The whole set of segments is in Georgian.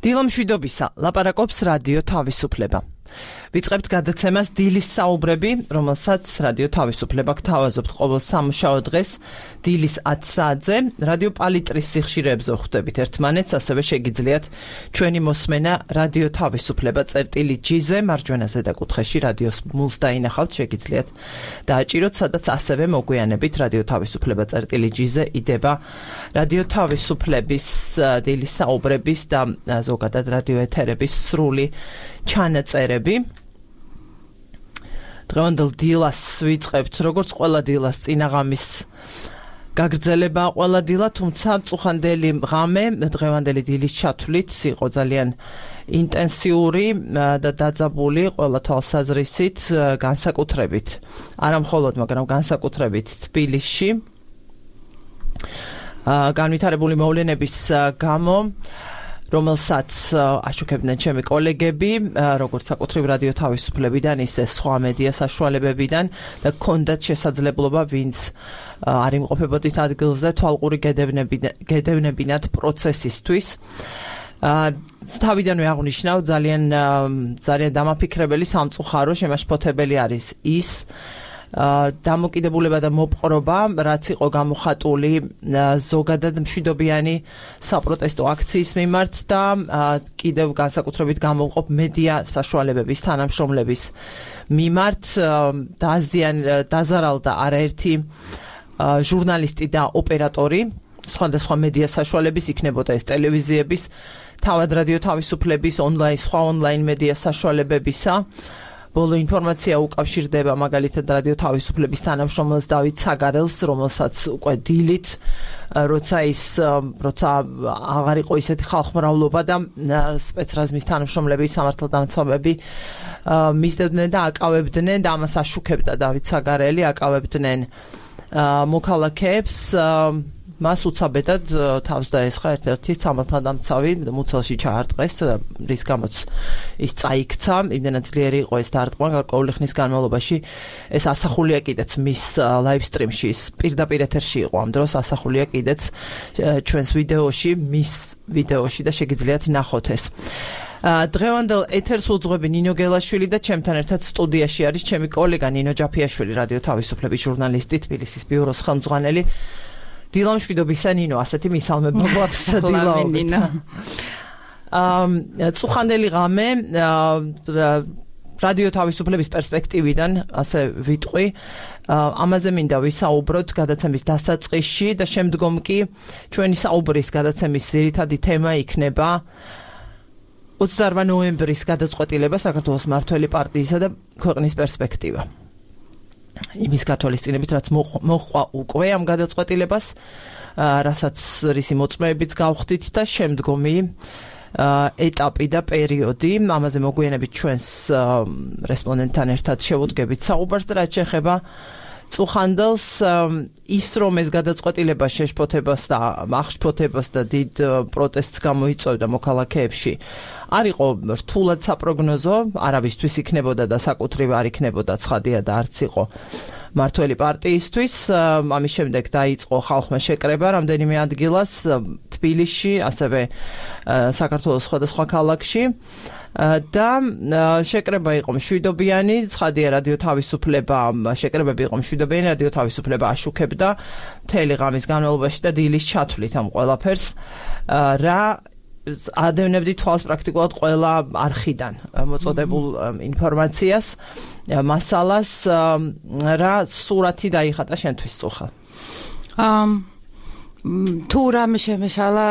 დილამშვიდობისა, ლაპარაკობს რადიო თავისუფლება. ვიწყებთ გადაცემას დილის საუბრები, რომელსაც რადიო თავისუფლება გთავაზობთ ყოველ სამუშაო დღეს დილის 10 საათზე. რადიო პალიტრის სიხშირეებზე ხვდებით ერთმანეთს, ასევე შეგიძლიათ ჩვენი მოსმენა რადიო თავისუფლება წერტილი-G-ზე, მარჯვენა ზედაკუთხეში რადიოს მულს დაინახავთ, შეგიძლიათ დააჭიროთ, სადაც ასევე მოგვიანებით რადიო თავისუფლება წერტილი-G-ზე იდება რადიო თავისუფლების დილის საუბრების და ზოგადად რადიო ეთერების სრული ჩანაწერები. დღევანდელ დილას ვიწყებთ, როგორც ყველა დილას წინაღამის გაგრძელება ყველა დილა, თუმცა წუხანდელი ღამე დღევანდელი დილის ჩათვლით იყო ძალიან ინტენსიური და დაძაბული ყველა თვალსაზრისით, განსაკუთრებით არა მხოლოდ, მაგრამ განსაკუთრებით თბილისში განვითარებული მოვლენების გამო, რომელსაც აშუქებდნენ ჩემი კოლეგები, როგორც საკუთრივ რადიო თავისუფლებიდან, ისე სხვა მედია საშუალებებიდან და ჰქონდათ შესაძლებლობა, ვინც არ იმყოფებოდით ადგილზე, თვალყური გედევნებინათ პროცესისთვის. თავიდანვე აღნიშნავ, ძალიან დამაფიქრებელი, სამწუხარო, შემაშფოთებელი არის ის დამოკიდებულება და მოპყრობა, რაც იყო გამოხატული ზოგადად მშვიდობიანი საპროტესტო akcijas მიმართ და კიდევ განსაკუთრებით გამოვყოფ მედია საშუალებების თანამშრომლების მიმართ. დაზარალდა არაერთი ჟურნალისტი და ოპერატორი სხვადასხვა მედია საშუალების, იქნებოდა ეს ტელევიზიების, თავად რადიო თავისუფლების, სხვა ონლაინ მედია საშუალებებისა. ბოლო ინფორმაცია უკავშირდება მაგალითად რადიო თავისუფლების თანამშრომელს დავით საგარელს, რომელსაც უკვე დილით, როცა აღარ იყო ისეთი ხალხმრავლობა და სპეცრაზმის თანამშრომლები, სამართალდამცავები მისდევდნენ და აკავებდნენ და ამას აშუქებდა დავით საგარელი, აკავებდნენ მოქალაქეებს. მას უცაბედად თავს დაესხა ერთ-ერთი სამართალდამცავი, მუცელში ჩაარტყეს, რის გამოც ის წაიქცა, იმდენად ძლიერი იყო ეს დარტყმა, გარკვეული ხნის განმავლობაში. ეს ასახულია კიდეც მის ლაივ სტრიმში, ის პირდაპირ ეთერში იყო ამ დროს, ასახულია კიდეც ჩვენს ვიდეოში, მის ვიდეოში და შეგიძლიათ ნახოთ ეს. დღევანდელ ეთერს უძღვები ნინო გელაშვილი და ჩემთან ერთად სტუდიაში არის ჩემი კოლეგა ნინო ჯაფიაშვილი, რადიო თავისუფლების ჟურნალისტი, თბილისის ბიუროს ხელმძღვანელი. დილამშვიდობისა ნინო, ასეთი მისალმება გვაქვს დილაობით. წუხანდელი ღამე რადიო თავისუფლების პერსპექტივიდან, ასე ვიტყვი, ამაზე მინდა ვისაუბროთ გადაცემის დასაწყისში და შემდგომ კი ჩვენი საუბრის გადაცემის ძირითადი თემა იქნება 28 ნოემბრის გადაწყვეტილება საქართველოს მმართველი პარტიისა და ქვეყნის პერსპექტივა. იმის გათვალისწინებით, რაც მოჰყვა უკვე ამ გადაწყვეტილებას, რასაც რისი მოწმეებიც გავხდით და შემდგომი ეტაპი და პერიოდი, ამაზე მოგვიანებით ჩვენს რესპონდენტთან ერთად შევუდგებით საუბარს და რაც შეეხება წუხანდელს, ის რომ ეს გადაწყვეტილება შეშფოთებას და აღშფოთებას და დიდ პროტესტს გამოიწვევდა მოქალაქეებში, არ იყო რთულად საპროგნოზო, არავისთვის იქნებოდა და საკუთრივ არ იქნებოდა ცხადია და არც იყო მმართველი პარტიისთვის. ამის შემდეგ დაიწყო ხალხმა შეკრება რამდენიმე ადგილას თბილისში, ასევე საქართველოს სხვადასხვა ქალაქში და შეკრება იყო მშვიდობიანი, ცხადია რადიო თავისუფლება, შეკრებები იყო მშვიდობიანი, რადიო თავისუფლება აშუქებდა მთელი ღამის განმავლობაში და დილის ჩათვლით ამ ყველაფერს, რა ადევნებდი თვალს პრაქტიკულად ყველა არხიდან მოწოდებულ ინფორმაციას, მასალას, რა სურათი დაიხატა შენთვის წუხა? თუ რამე შემეშალა,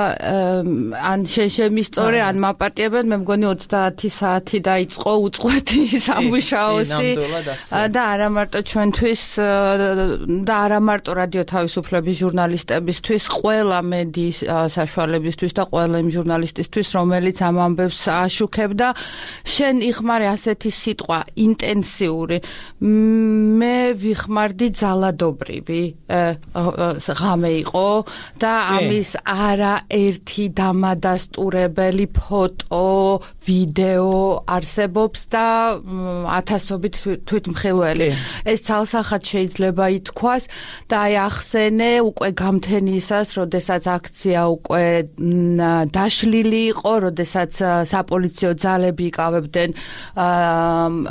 ან შემისწორე, ან მაპატიებენ, მე მგონი 30 საათი დაიწყო უწყვეტი სამუშაოსი და არა მარტო ჩვენთვის და არა მარტო რადიო თავისუფლების ჟურნალისტებისთვის, ყველა მედიის საშუალებისთვის და ყველა იმ ჟურნალისტისთვის, რომელიც ამ ამბებს აშუქებდა. შენ იხმარე ასეთი სიტყვა ინტენსიური, მე ვიხმარდი ძალადობრივი ღამე იყო. და ამის არაერთი დამადასტურებელი ფოტო, ვიდეო არსებობს და ათასობით თვითმხილველი. ეს ცალსახად შეიძლება ითქვას და აი ახსენე უკვე გამთენისას, როდესაც აქცია უკვე დაშლილი იყო, როდესაც საპოლიციო ძალები იკავებდნენ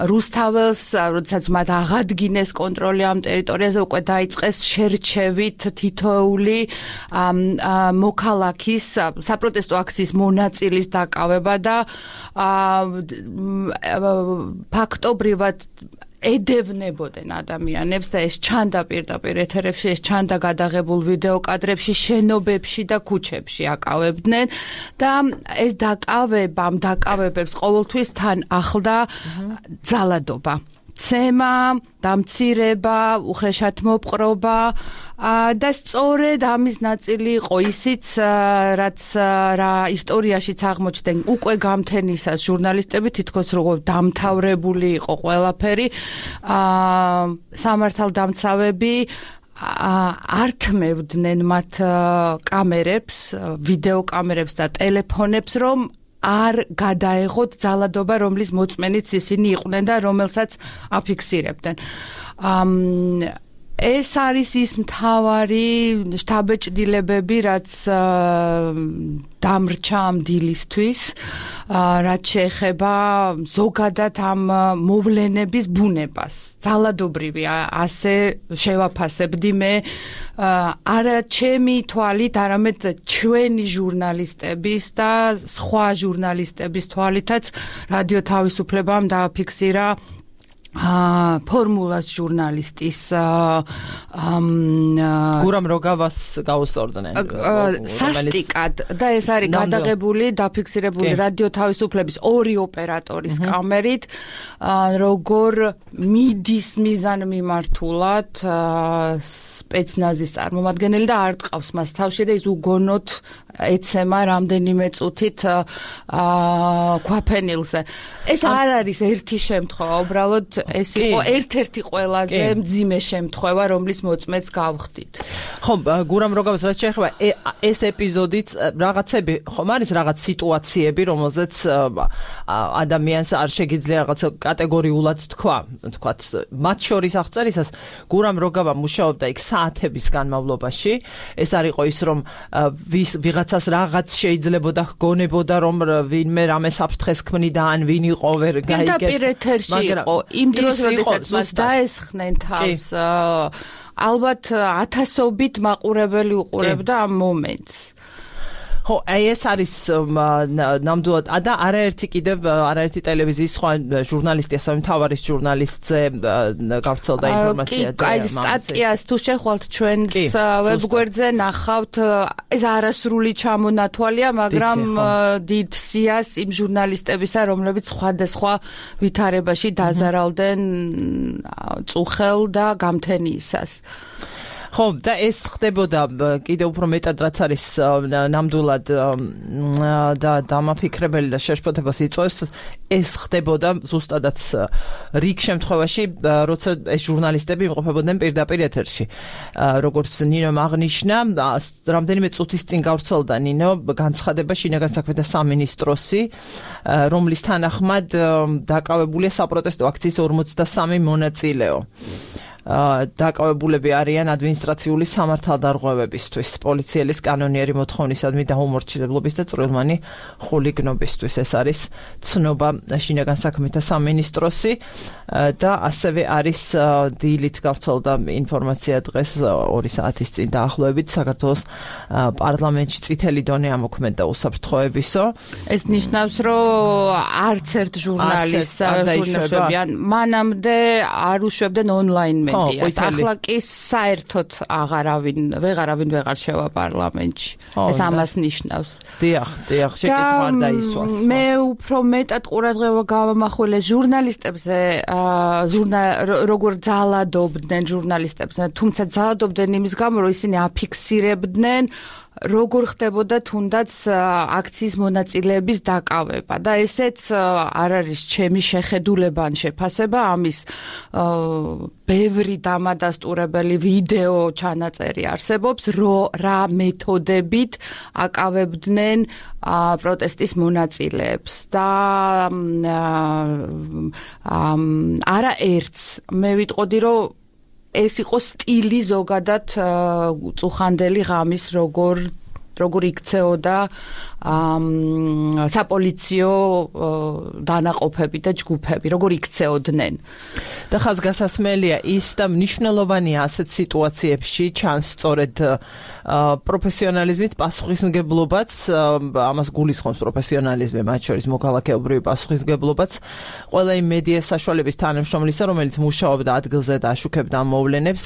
რუსთაველს, როდესაც მათ აღადგინეს კონტროლი ამ ტერიტორიაზე, უკვე დაიწყეს შერჩევით თითოეული მოქალაქის საპროტესტო აქციის მონაწილის დაკავება და ფაქტობრივად ედევნებოდნენ ადამიანებს და ეს ჩანდა პირდაპირ ეთერებში, ეს ჩანდა გადაღებულ ვიდეო კადრებში, შენობებში და ქუჩებში აკავებდნენ და ეს დაკავებებს ყოველთვის თან ახლდა ძალადობა. ცემა, დამცირება, უხეშად მოპყრობა და სწორედ ამის ნაწილი იყო ისიც, რაც რა ისტორიაშიც აღმოჩნდნენ უკვე გამთენისას ჟურნალისტები თითქოს როგორ დამთავრებული იყო ყველაფერი, სამართალდამცავები ართმევდნენ მათ კამერებს, ვიდეო კამერებს და ტელეფონებს, რომ არ გადაეღოთ ძალადობა, რომლის მოწმენიც ისინი იყვნენ და რომელსაც აფიქსირებდნენ. ეს არის ის მთავარი შთაბეჭდილებები, რაც დამრჩა ამ დილისთვის, რაც შეეხება ზოგადად ამ მოვლენების ბუნებას. ძალადობრივი ასე შევაფასებდი მე არა ჩემი თვალით, არამედ ჩვენი ჟურნალისტების და სხვა ჟურნალისტების თვალითაც რადიო თავისუფლებამ დააფიქსირა ფორმულას ჟურნალისტის გურამ როგავას გაუსწორდნენ სასტიკად და ეს არის გადაღებული, დაფიქსირებული რადიო თავისუფლების ორი ოპერატორის კამერით, როგორ მიდის მიზანმიმართულად სპეცნაზის წარმომადგენელი და არ ტყავს მას თავში და ის უგონოდ ეცემა რამდენიმე წუთით ქვაფენილზე. ეს არ არის ერთი შემთხვევა, უბრალოდ ეს იყო ერთ-ერთი ყველაზე მძიმე შემთხვევა, რომლის მოწმეც გავხდით. ხო, გურამ როგავას რაც შეეხება ეს ეპიზოდიც რაღაცები, ხომ არის რაღაც სიტუაციები, რომელზეც ადამიანს არ შეგიძლია რაღაც კატეგორიულად თქვათ, მათ შორის აღწერისას გურამ როგავა მუშაობდა იქ საათების განმავლობაში. ეს არ იყო ის, რომ ვიღაცას რაღაც შეიძლებოდა ჰგონებოდა, რომ ვინმე რამე საფრთხეს ქმნიდა, ან ვინ იყო ვერ გაიგეს. პირდაპირ ეთერში იყო იმ დროს, როდესაც მას დაესხნენ თავს, ალბათ ათასობით მაყურებელი უყურებდა ამ მომენტს. ხო, ეს არის ნამდვილად და არაერთი ტელევიზიის სხვა ჟურნალისტი, ასევე მთავარი ჟურნალისტზე გავრცელდა ინფორმაცია. კი, სტატიას თუ შეხვალთ ჩვენს ვებგვერდზე ნახავთ, ეს არასრული ჩამონათვალია, მაგრამ დიდ სიას იმ ჟურნალისტებისა, რომლებიც სხვადასხვა ვითარებაში დაზარალდნენ წუხელ და გამთენიისას. ხო, და ეს ხდებოდა კიდევ უფრო მეტად, რაც არის ნამდვილად და დამაფიქრებელი და შეშფოთებას იწვევს, ეს ხდებოდა ზუსტადაც რიგ შემთხვევაში, როცა ეს ჟურნალისტები იმყოფებოდნენ პირდაპირ ეთერში. როგორც ნინომ აღნიშნა, რამდენიმე წუთის წინ გავრცელდა ნინო განცხადება შინაგან საქმეთა სამინისტროსი, რომლის თანახმად დაკავებულია საპროტესტო აქციის 43 მონაწილეო. დაკავებულები არიან ადმინისტრაციული სამართალდარღვევებისთვის, პოლიციელის კანონიერი მოთხოვნისადმი დაუმორჩილებლობის და წვრილმანი ხულიგნობისთვის. ეს არის ცნობა შინაგან საქმეთა სამინისტროსი და ასევე არის დილით გავრცელდა ინფორმაცია დღეს 2 საათის წინ დაახლოებით საქართველოს პარლამენტში წითელი დონე ამოქმედა უსაფრთხოებისო. ეს ნიშნავს, რომ არც ერთ ჟურნალისტს არ მანამდე არ უშვებდნენ ონლაინ ახლა კი საერთოდ ვეღარავინ ვეღარ შევა პარლამენტში. ეს ამას ნიშნავს. დიახ, შეკითხვა არ დაისვას. მე უფრო მეტად ყურადღება გავამახვილე ჟურნალისტებზე, როგორ ძალადობდნენ ჟურნალისტებზე, თუმცა ძალადობდნენ იმის გამო, რომ ისინი აფიქსირებდნენ როგორ ხდებოდა თუნდაც აქციის მონაწილეების დაკავება და ესეც არ არის ჩემი შეხედულება ან შეფასება ამის ბევრი დამადასტურებელი ვიდეო ჩანაწერი არსებობს რა მეთოდებით აკავებდნენ პროტესტის მონაწილეებს და არა ერთს მე ვიტყოდი რომ ეს იყო სტილი ზოგადად წუხანდელი ღამის როგორ იქცეოდა საპოლიციო დანაყოფები და ჯგუფები, როგორ იქცეოდნენ. და ხაზგასასმელია ის და მნიშვნელოვანია ასეთ სიტუაციებში ჩანს სწორედ პროფესიონალიზმის პასუხისმგებლობაც, ამას გულისხმობს პროფესიონალიზმი, მათ შორის მოქალაქეობრივი პასუხისმგებლობაც, ყველა იმ მედია საშუალების თანამშრომლისა, რომელიც მუშაობდა ადგილზე და აშუქებდა ამ მოვლენებს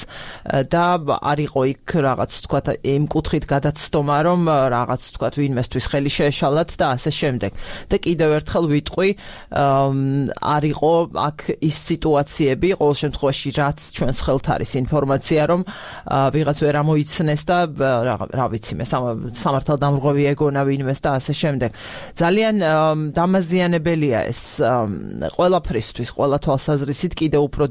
და არ იყო იქ რაღაც თქვა იმ კუთხით გადაცდომა, რომ რაღაც თქვა ვინმესთვის ხელი შეეშალათ და ასე შემდეგ. და კიდევ ერთხელ ვიტყვი, არ იყო აქ ის სიტუაციები, ყოველ შემთხვევაში რაც ჩვენს ხელთ არის ინფორმაცია, რომ ვიღაც ვერ ამოიცნეს და რა ვიცი მე სამართალდამრღვევი ეგონა ვინმეს და ასე შემდეგ. ძალიან დამაზიანებელია ეს ყველაფრისთვის, ყველა თვალსაზრისით კიდევ უფრო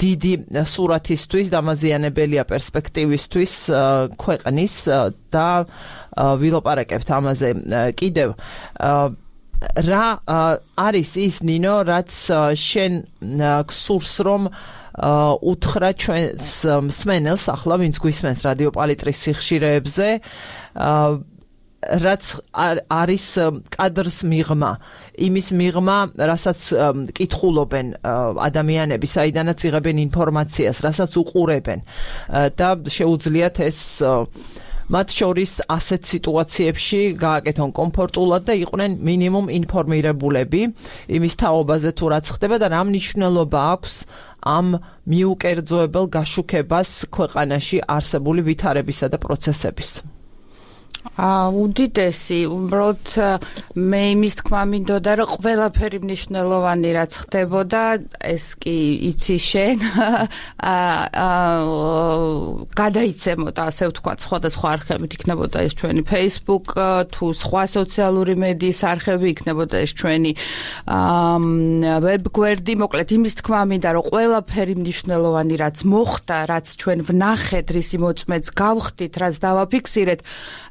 დიდი სურათისთვის, დამაზიანებელია პერსპექტივისთვის ქვეყნის და ვილაპარაკებთ ამაზე კიდევ რა არის ის ნინო რაც შენ გსურს რომ უთხრა ჩვენს მსმენელს ახლა ვინც გვისმენს რადიო პალიტრის სიხშირეებზე რაც არის კადრს მიღმა იმის მიღმა რასაც კითხულობენ ადამიანები საიდანაც იღებენ ინფორმაციას რასაც უყურებენ და შეუძლიათ ეს მათ შორის ასეთ სიტუაციებში გააკეთონ კომფორტულად და იყვნენ მინიმუმ ინფორმირებულები იმის თაობაზე თუ რაც ხდება და რა მნიშვნელობა აქვს ამ მიუკერძოებელ გაშუქებას ქვეყანაში არსებული ვითარებისა და პროცესების. უდიდესი, უბრალოდ მე იმის თქმა მინდოდა, რომ ყველაფერი მნიშვნელოვანი რაც ხდებოდა, ეს კი იცი შენ, გადაიცემოდა, ასე ვთქვათ, სხვადასხვა არხებით იქნებოდა ეს ჩვენი Facebook, თუ სხვა სოციალური მედიის არხები იქნებოდა ეს ჩვენი ვებგვერდი, მოკლედ იმის თქმა მინდა, რომ ყველაფერი მნიშვნელოვანი რაც მოხდა, რაც ჩვენ ვნახეთ, რისი მოწმეც გავხდით, რაც დავაფიქსირეთ,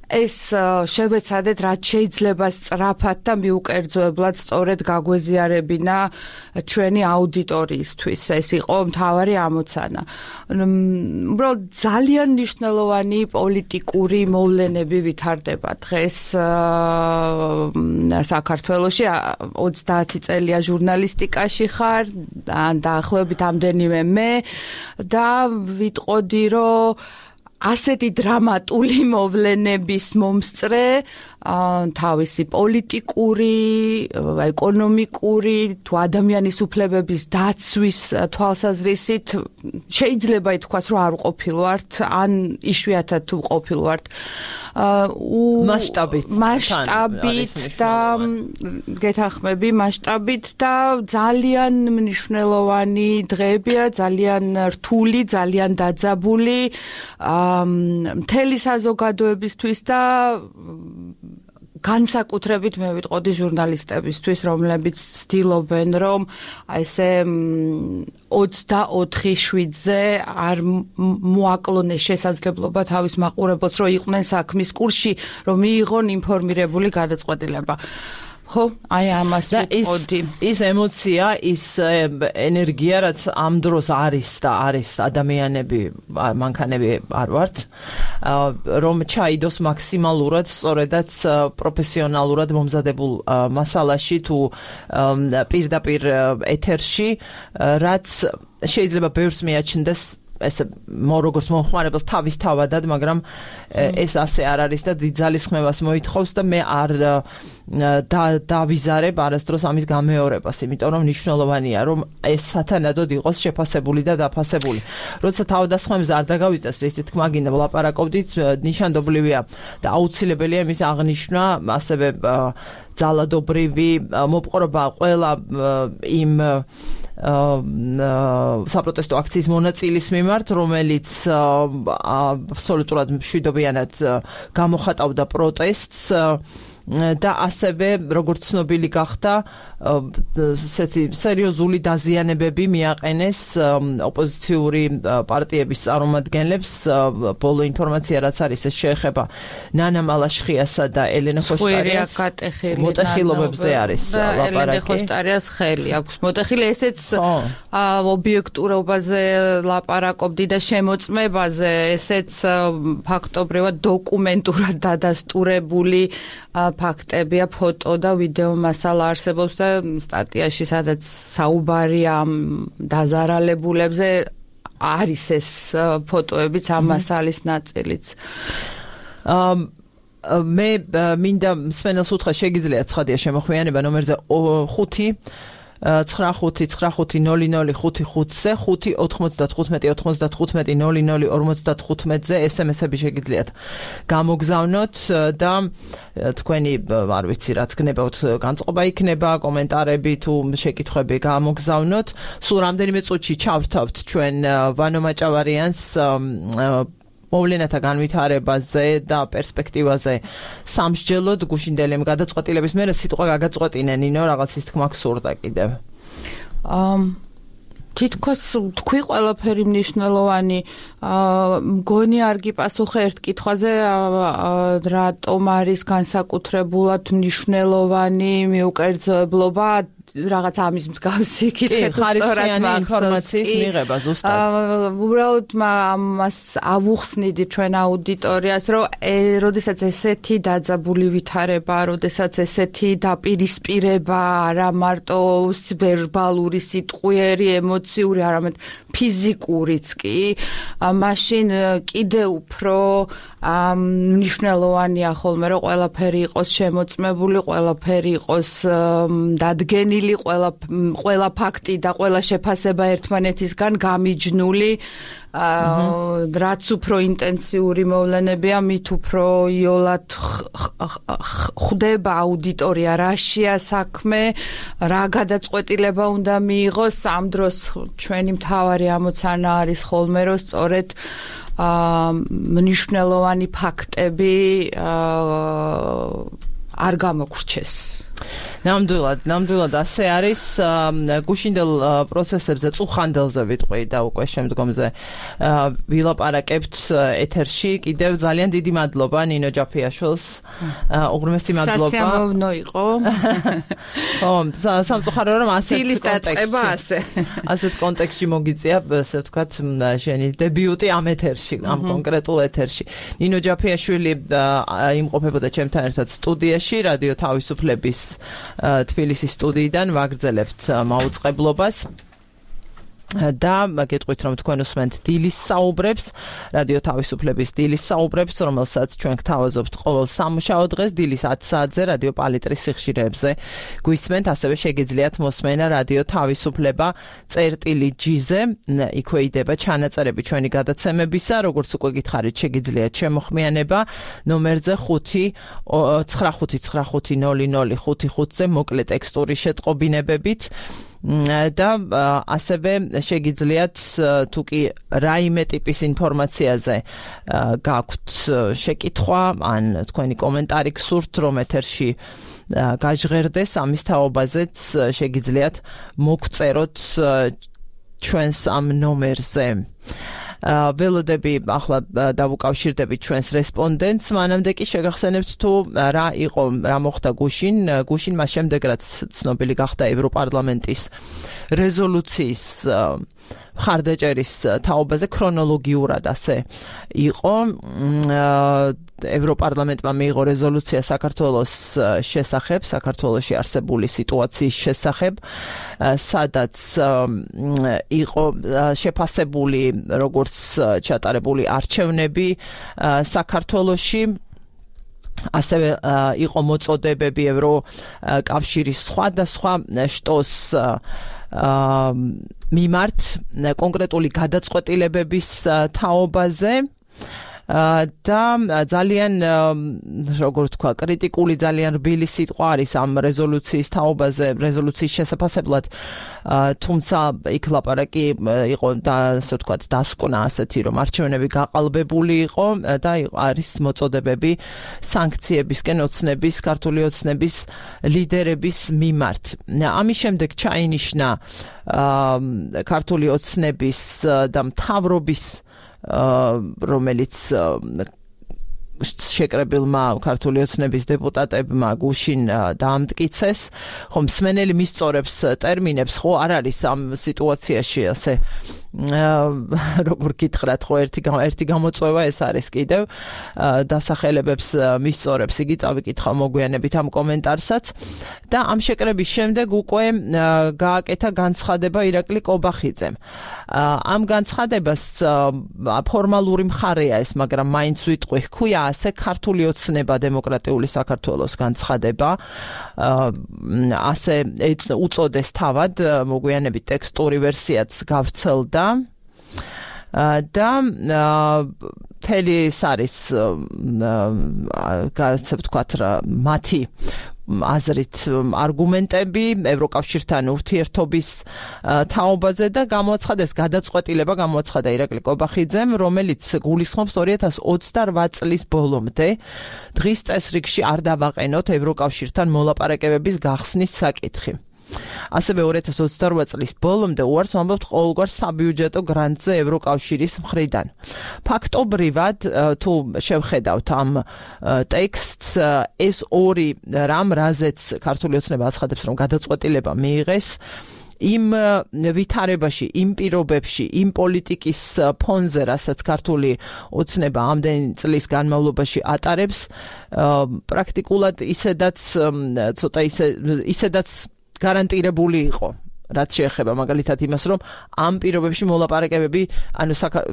ეს შევეცადეთ რაც შეიძლება სწრაფად და მიუკერძოებლად სწორედ გაგვეზიარებინა ჩვენი აუდიტორიისთვის. ეს იყო მთავარი ამოცანა. უბრალოდ ძალიან მნიშვნელოვანი პოლიტიკური მოვლენები ვითარდება დღეს საქართველოში 30 წელია ჟურნალისტიკაში ხარ, დაახლოებით ამდენივე მე და ვიტყოდი რომ ასეთი დრამატული მოვლენების მომსწრე თავისი პოლიტიკური, ეკონომიკური, თუ ადამიანის უფლებების დაცვის თვალსაზრისით შეიძლება ითქვას, რომ არ ყოფილვართ, ან იშვიათად თუ ყოფილვართ. მასშტაბით და გეთანხმები მასშტაბით და ძალიან მნიშვნელოვანი დღეებია, ძალიან რთული, ძალიან დაძაბული მთელი საზოგადოებისთვის და განსაკუთრებით მე ვიტყოდი ჟურნალისტებისთვის, რომლებიც ცდილობენ, რომ ესე 24/7-ზე არ მოაკლონეს შესაძლებლობა თავის მაყურებელს, რომ იყვნენ საქმის კურსში, რომ მიიღონ ინფორმირებული გადაწყვეტილება. ხო, აი ამას ვიტყოდი. ის ემოცია, ის ენერგია, რაც ამ დროს არის და არის ადამიანები, მანქანები არ ვართ, რომ ჩაიდოს მაქსიმალურად, სწორედაც პროფესიონალურად მომზადებულ მასალაში თუ პირდაპირ ეთერში, რაც შეიძლება ბევრს მიაჩნდეს ეს როგორც მომხმარებელს თავის თავადად, მაგრამ ეს ასე არ არის და დიდ ძალისხმევას მოითხოვს და მე არ დავიზარებ არასდროს ამის გამეორებას, იმიტომ რომ მნიშვნელოვანია, რომ ეს სათანადოდ იყოს შეფასებული და დაფასებული. როცა თავდასხმებზე არ დაგავიწყდეს, რის თქმა გინდა ვლაპარაკობდით, ნიშანდობლივია და აუცილებელია იმის აღნიშვნა, ასევე ძალადობრივი მოპყრობა ყველა იმ საპროტესტო აქციის მონაწილის მიმართ, რომელიც აბსოლუტურად მშვიდობიანად გამოხატავდა პროტესტს და ასევე როგორც ცნობილი გახდა ესეთი სერიოზული დაზიანებები მიაყენეს ოპოზიციური პარტიების წარმომადგენლებს ბოლო ინფორმაცია რაც არის ეს შეეხება ნანა მალაშხიასა და ელენე ხოშტარიას მოტეხილობებზე არის ლაპარაკი ელენე ხოშტარიას ხელი აქვს მოტეხილი ესეც ობიექტურობაზე ლაპარაკობდი და შემოწმებაზე ესეც ფაქტობრივად დოკუმენტურად დადასტურებული ფაქტებია ფოტო და ვიდეო მასალა არსებობს და სტატიაში სადაც საუბარია ამ დაზარალებულებზე არის ეს ფოტოებიც ამ მასალის ნაწილიც მე მინდა მსმენელს უთხრა შეგიძლიათ ცხადია შემოხვიანება ნომერზე 5-95-95-00-55-ზე 5-95-95-00-55-ზე SMS-ები შეგიძლიათ გამოგზავნოთ და თქვენი არ ვიცი რაც გნებავთ განწყობა იქნება კომენტარები თუ შეკითხვები გამოგზავნოთ სულ რამდენიმე წუთში ჩავრთავთ ჩვენ ვანო მაჭავარიანს მოვლენათა განვითარებაზე და პერსპექტივაზე სამსჯელოდ გუშინდელი გადაწყვეტილების მერე სიტყვა გაგაწყვეტინე ნინო რაღაცის თქმა გსურდა კიდევ თითქოს თქვი ყველაფერი მნიშვნელოვანი მგონი არ გიპასუხე ერთ კითხვაზე რატომ არის განსაკუთრებულად მნიშვნელოვანი მიუკერძოებლობა რაღაც ამის მსგავსი კითხე თუ სწორად ინფორმაციის მიღება ზუსტად. უბრალოდ ამას ავუხსნიდი ჩვენ აუდიტორიას, რომ როდესაც ესეთი დაძაბული ვითარება, როდესაც ესეთი დაპირისპირება, არა მარტო ვერბალური, სიტყვიერი, ემოციური, არამედ ფიზიკურიც კი, მაშინ კიდე უფრო მნიშვნელოვანია ხოლმე, რომ ყველაფერი იყოს შემოწმებული, ყველაფერი იყოს დადგენილი ყველა ფაქტი და ყველა შეფასება ერთმანეთისგან გამიჯნული რაც უფრო ინტენსიური მოვლენებია მით უფრო იოლად ხვდება აუდიტორია რაშია საქმე რა გადაწყვეტილება უნდა მიიღოს ამ დროს ჩვენი მთავარი ამოცანა არის ხოლმე რომ სწორედ მნიშვნელოვანი ფაქტები არ გამოგრჩეს ნამდვილად ასე არის გუშინდელ პროცესებზე წუხანდელზე ვიტყვი და უკვე შემდგომზე ვილაპარაკებთ ეთერში კიდევ ძალიან დიდი მადლობა ნინო ჯაფიაშვილს უღრმესი მადლობა სასიამოვნო იყო სამწუხარო რომ ასეთ კონტექსტში მოგიწია ასე ვთქვათ შენი დებიუტი ამ ეთერში ამ კონკრეტულ ეთერში ნინო ჯაფიაშვილი იმყოფებოდა ჩემთან ერთად სტუდიაში რადიო თავისუფლების თბილისის სტუდიიდან ვაგრძელებთ მაუწყებლობას და გეტყვით რომ თქვენ უსმენთ დილის საუბრებს რადიო თავისუფლების დილის საუბრებს რომელსაც ჩვენ გთავაზობთ ყოველ სამუშაო დღეს დილის 10 საათზე რადიო პალიტრის სიხშირეებზე გვისმენთ ასევე შეგიძლიათ მოსმენა რადიო თავისუფლება წერტილი-G-ზე იქვე იდება ჩანაწერები ჩვენი გადაცემებისა როგორც უკვე გითხარით შეგიძლიათ შემოხმიანება ნომერზე 5-95-95-00-55-ზე მოკლე ტექსტური შეტყობინებებით და ასევე შეგიძლიათ თუ კი რაიმე ტიპის ინფორმაციაზე გაქვთ შეკითხვა ან თქვენი კომენტარი გსურთ რომ ეთერში გაჟღერდეს ამის თაობაზეც შეგიძლიათ მოგწეროთ ჩვენს ამ ნომერზე ველოდები ახლა დავუკავშირდებით ჩვენს რესპონდენტს მანამდე კი შეგახსენებთ თუ რა მოხდა გუშინ მას შემდეგ რაც ცნობილი გახდა ევროპარლამენტის რეზოლუციის მხარდაჭერის თაობაზე ქრონოლოგიურად ასე იყო ევროპარლამენტმა მიიღო რეზოლუცია საქართველოს შესახებ, საქართველოში არსებული სიტუაციის შესახებ, სადაც იყო შეფასებული როგორც ჩატარებული არჩევნები საქართველოში ასევე იყო მოწოდებები ევროკავშირის სხვადასხვა შტოს მიმართ კონკრეტული გადაწყვეტილებების თაობაზე და ძალიან როგორ თქვა კრიტიკული ძალიან რბილი სიტყვა არის ამ რეზოლუციის თაობაზე რეზოლუციის შესაძლებლად თუმცა იქ ლაპარაკი იყო და ასე ვთქვათ დასკვნა ასეთი რომ არჩევნები გაყალბებული იყო და არის მოწოდებები სანქციებისკენ ოცნების ქართული ოცნების ლიდერების მიმართ ამის შემდეგ ჩაინიშნა ქართული ოცნების და მთავრობის რომელიც შეკრებილმა ქართული ოცნების დეპუტატებმა გუშინ დაამტკიცეს, ხომ მსმენელი მისწორებს ტერმინებს, ხო არ არის ამ სიტუაციაში ასე როგორ გითხრათ, ხო ერთი გამოწვევა ეს არის კიდევ დასახელებებს მისწორებს, იგი წავიკითხავ მოგვიანებით ამ კომენტარსაც და ამ შეკრების შემდეგ უკვე გააკეთა განცხადება ირაკლი კობახიძემ. ამ განცხადებას ფორმალური მხარეა ეს, მაგრამ მაინც ვიტყვი, ჰქვია ასე ქართული ოცნება დემოკრატიული საქართველოს განცხადება, ასე უწოდეს თავად, მოგვიანებით ტექსტური ვერსიაც გავრცელდა და თელი ეს არის ასე ვთქვათ მათი აზრით არგუმენტები ევროკავშირთან ურთიერთობის თაობაზე და გამოაცხადეს გადაწყვეტილება გამოაცხადა ირაკლი კობახიძემ, რომელიც გულისხმობს 2028 წლის ბოლომდე დღის წესრიგში არ დავაყენოთ ევროკავშირთან მოლაპარაკებების გახსნის საკითხი. ასევე 2028 წლის ბოლომდე უარს ვამბობთ ყოველგვარ საბიუჯეტო გრანტზე ევროკავშირის მხრიდან. ფაქტობრივად, თუ შევხედავთ ამ ტექსტს, ეს ორი რამ, რაზეც ქართული ოცნება აცხადებს, რომ გადაწყვეტილება მიიღეს, იმ ვითარებაში, იმ პირობებში, იმ პოლიტიკის ფონზე, რასაც ქართული ოცნება ამდენი წლის განმავლობაში ატარებს, პრაქტიკულად ისედაც გარანტირებული იყო, რაც შეეხება მაგალითად იმას, რომ ამ პირობებში მოლაპარაკებები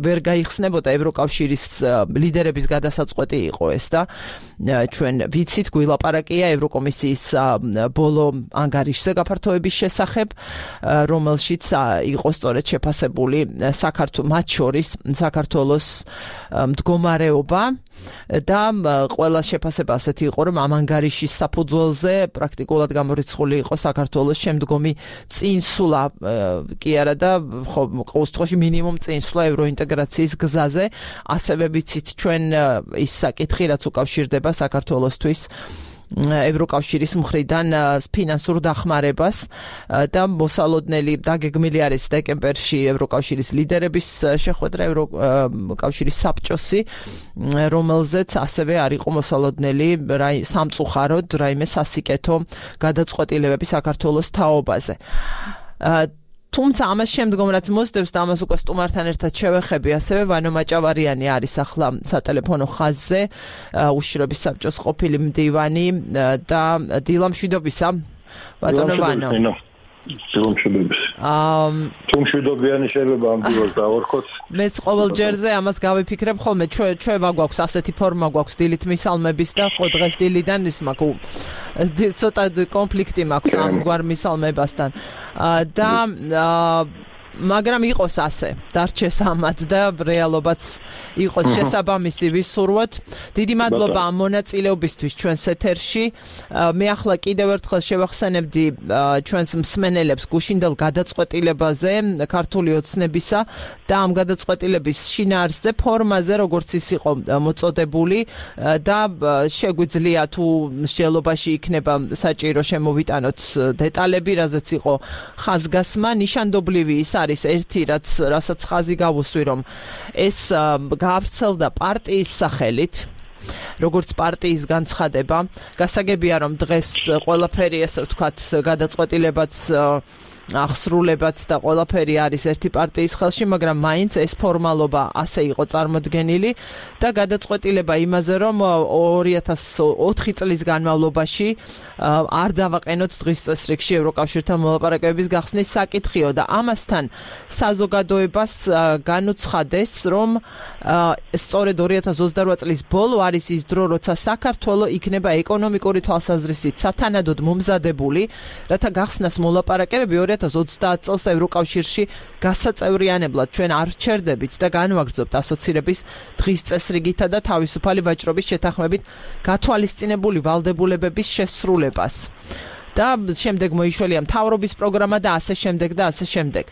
ვერ გაიხსნებოდა ევროკავშირის ლიდერების გადასაწყვეტი იყო ეს და ჩვენ ვიცით გვილაპარაკია ევროკომისიის ბოლო ანგარიშზე გაფართოების შესახებ, რომელშიც იყო სწორედ შეფასებული მათ შორის საქართველოს მდგომარეობა და ყველა შეფასება ასეთი იყო, რომ ამ ანგარიშის საფუძველზე პრაქტიკულად გამორიცხული იყო საქართველოს შემდგომი წინსვლა კი არა და ყოველ შემთხვევაში მინიმუმ წინსვლა ევროინტეგრაციის გზაზე, ასევე ვიცით ჩვენ ის საკითხი, რაც უკავშირდება საქართველოსთვის ევროკავშირის მხრიდან ფინანსურ დახმარებას და მოსალოდნელი დაგეგმილი არის დეკემბერში ევროკავშირის ლიდერების შეხვედრა ევროკავშირის საბჭოსი, რომელზეც ასევე არ იყო მოსალოდნელი სამწუხაროდ რაიმე სასიკეთო გადაწყვეტილებები საქართველოს თაობაზე. თუმცა ამას შემდგომ რაც მოსდევს და ამას უკვე სტუმართან ერთად შევეხები, ასევე ვანო მაჭავარიანი არის ახლა სატელეფონო ხაზზე, უშიშროების საბჭოს ყოფილი მდივანი და დილამშვიდობისა, ბატონო ვანო. თუ მშვიდობიანი შეიძლება ამ დილოს დავარქოთ. მეც ყოველ ჯერზე ამას გავიფიქრებ ხოლმე, ჩვენ გვაქვს ასეთი ფორმა გვაქვს დილით მისალმების და ხო დღეს დილიდან ის მაქვს ცოტა კონფლიქტი მაქვს ამგვარ მისალმებასთან და მაგრამ იყოს ასე, დარჩეს ამად და რეალობაც იყოს შესაბამისი ვისურვოთ. დიდი მადლობა ამ მონაწილეობისთვის ჩვენს ეთერში. მე ახლა კიდევ ერთხელ შევახსენებდი ჩვენს მსმენელებს გუშინდელ გადაწყვეტილებაზე ქართული ოცნებისა და ამ გადაწყვეტილების შინაარსზე, ფორმაზე, როგორც ის იყო მოწოდებული და შეგვიძლია თუ მსჯელობაში იქნება საჭირო შემოვიტანოთ დეტალები, რაზეც იყო ხაზგასმა, ნიშანდობლივი ის არის ერთი, რასაც ხაზი გავუსვი, რომ ეს გავრცელდა პარტიის სახელით, როგორც პარტიის განცხადება. გასაგებია, რომ დღეს ყველაფერი, ასე ვთქვათ, გადაწყვეტილებაც აღსრულებაც და ყველაფერი არის ერთი პარტიის ხელში, მაგრამ მაინც ეს ფორმალობა ასე იყო წარმოდგენილი და გადაწყვეტილება იმაზე, რომ 2004 წლის განმავლობაში არ დავაყენოთ დღის წესრიგში ევროკავშირთან მოლაპარაკებების გახსნის საკითხიო და ამასთან საზოგადოებას განუცხადეს, რომ სწორედ 2028 წლის ბოლო არის ის დრო, როცა საქართველო იქნება ეკონომიკური თვალსაზრისით სათანადოდ მომზადებული, რათა გახსნას მოლაპარაკებები 2030 წელს ევროკავშირში გასაწევრიანებლად ჩვენ არ რჩერდებით და განვაგრძობთ ასოცირების დღის წესრიგითა და თავისუფალი ვაჭრობის შეთანხმებით გათვალისწინებული ვალდებულებების შესრულებას. და შემდეგ მოიშველია მთავრობის პროგრამა და ასე შემდეგ და ასე შემდეგ.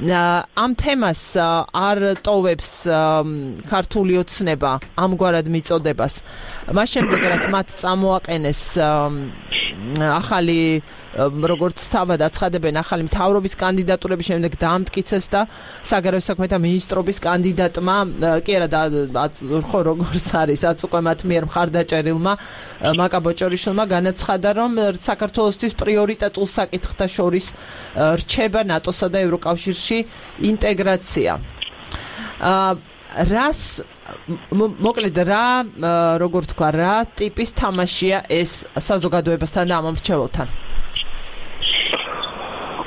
ამ თემას არ ტოვებს ქართული ოცნება ამგვარად მიწოდებას. მას შემდეგ რაც მათ წამოაყენეს ახალი როგორც თავად აცხადებენ ახალი მთავრობის კანდიდატურების შემდეგ დაამტკიცეს და საგარეო საქმეთა მინისტრობის კანდიდატმა კი არა ხო როგორც არის რაც უკვე მათ მიერ მხარდაჭერილმა მაკა ბოჭორიშვილმა განაცხადა რომ საქართველოსთვის პრიორიტეტულ საკითხთა შორის რჩება ნატოსა და ევროკავშირში ინტეგრაცია. რას მოკლედ რა როგორ თქვა რა ტიპის თამაშია ეს საზოგადოებასთან და ამ მრჩეველთან?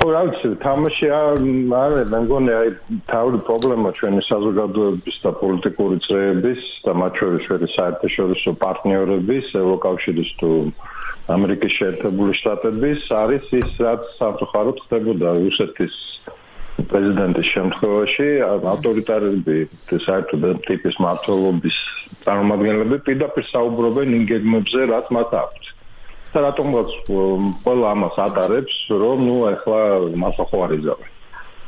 რა ვიცი, თამაში არის, მე მგონი აი თავი პრობლემა ჩვენი საზოგადოების და პოლიტიკური წრეების და მათ შორის საერთაშორისო პარტნიორების, ევროკავშირის თუ ამერიკის შეერთებული შტატების არის ის, რაც სამწუხაროდ ხდებოდა რუსეთის პრეზიდენტის შემთხვევაში, ავტორიტარული საერთო ტიპის მმართველობის წარმომადგენლები პირდაპირ საუბრობენ იმ გეგმებზე, რაც მათ აქვთ. და რატომღაც ყველა ამას ატარებს, რომ ახლა მას ხო არ იზავენ.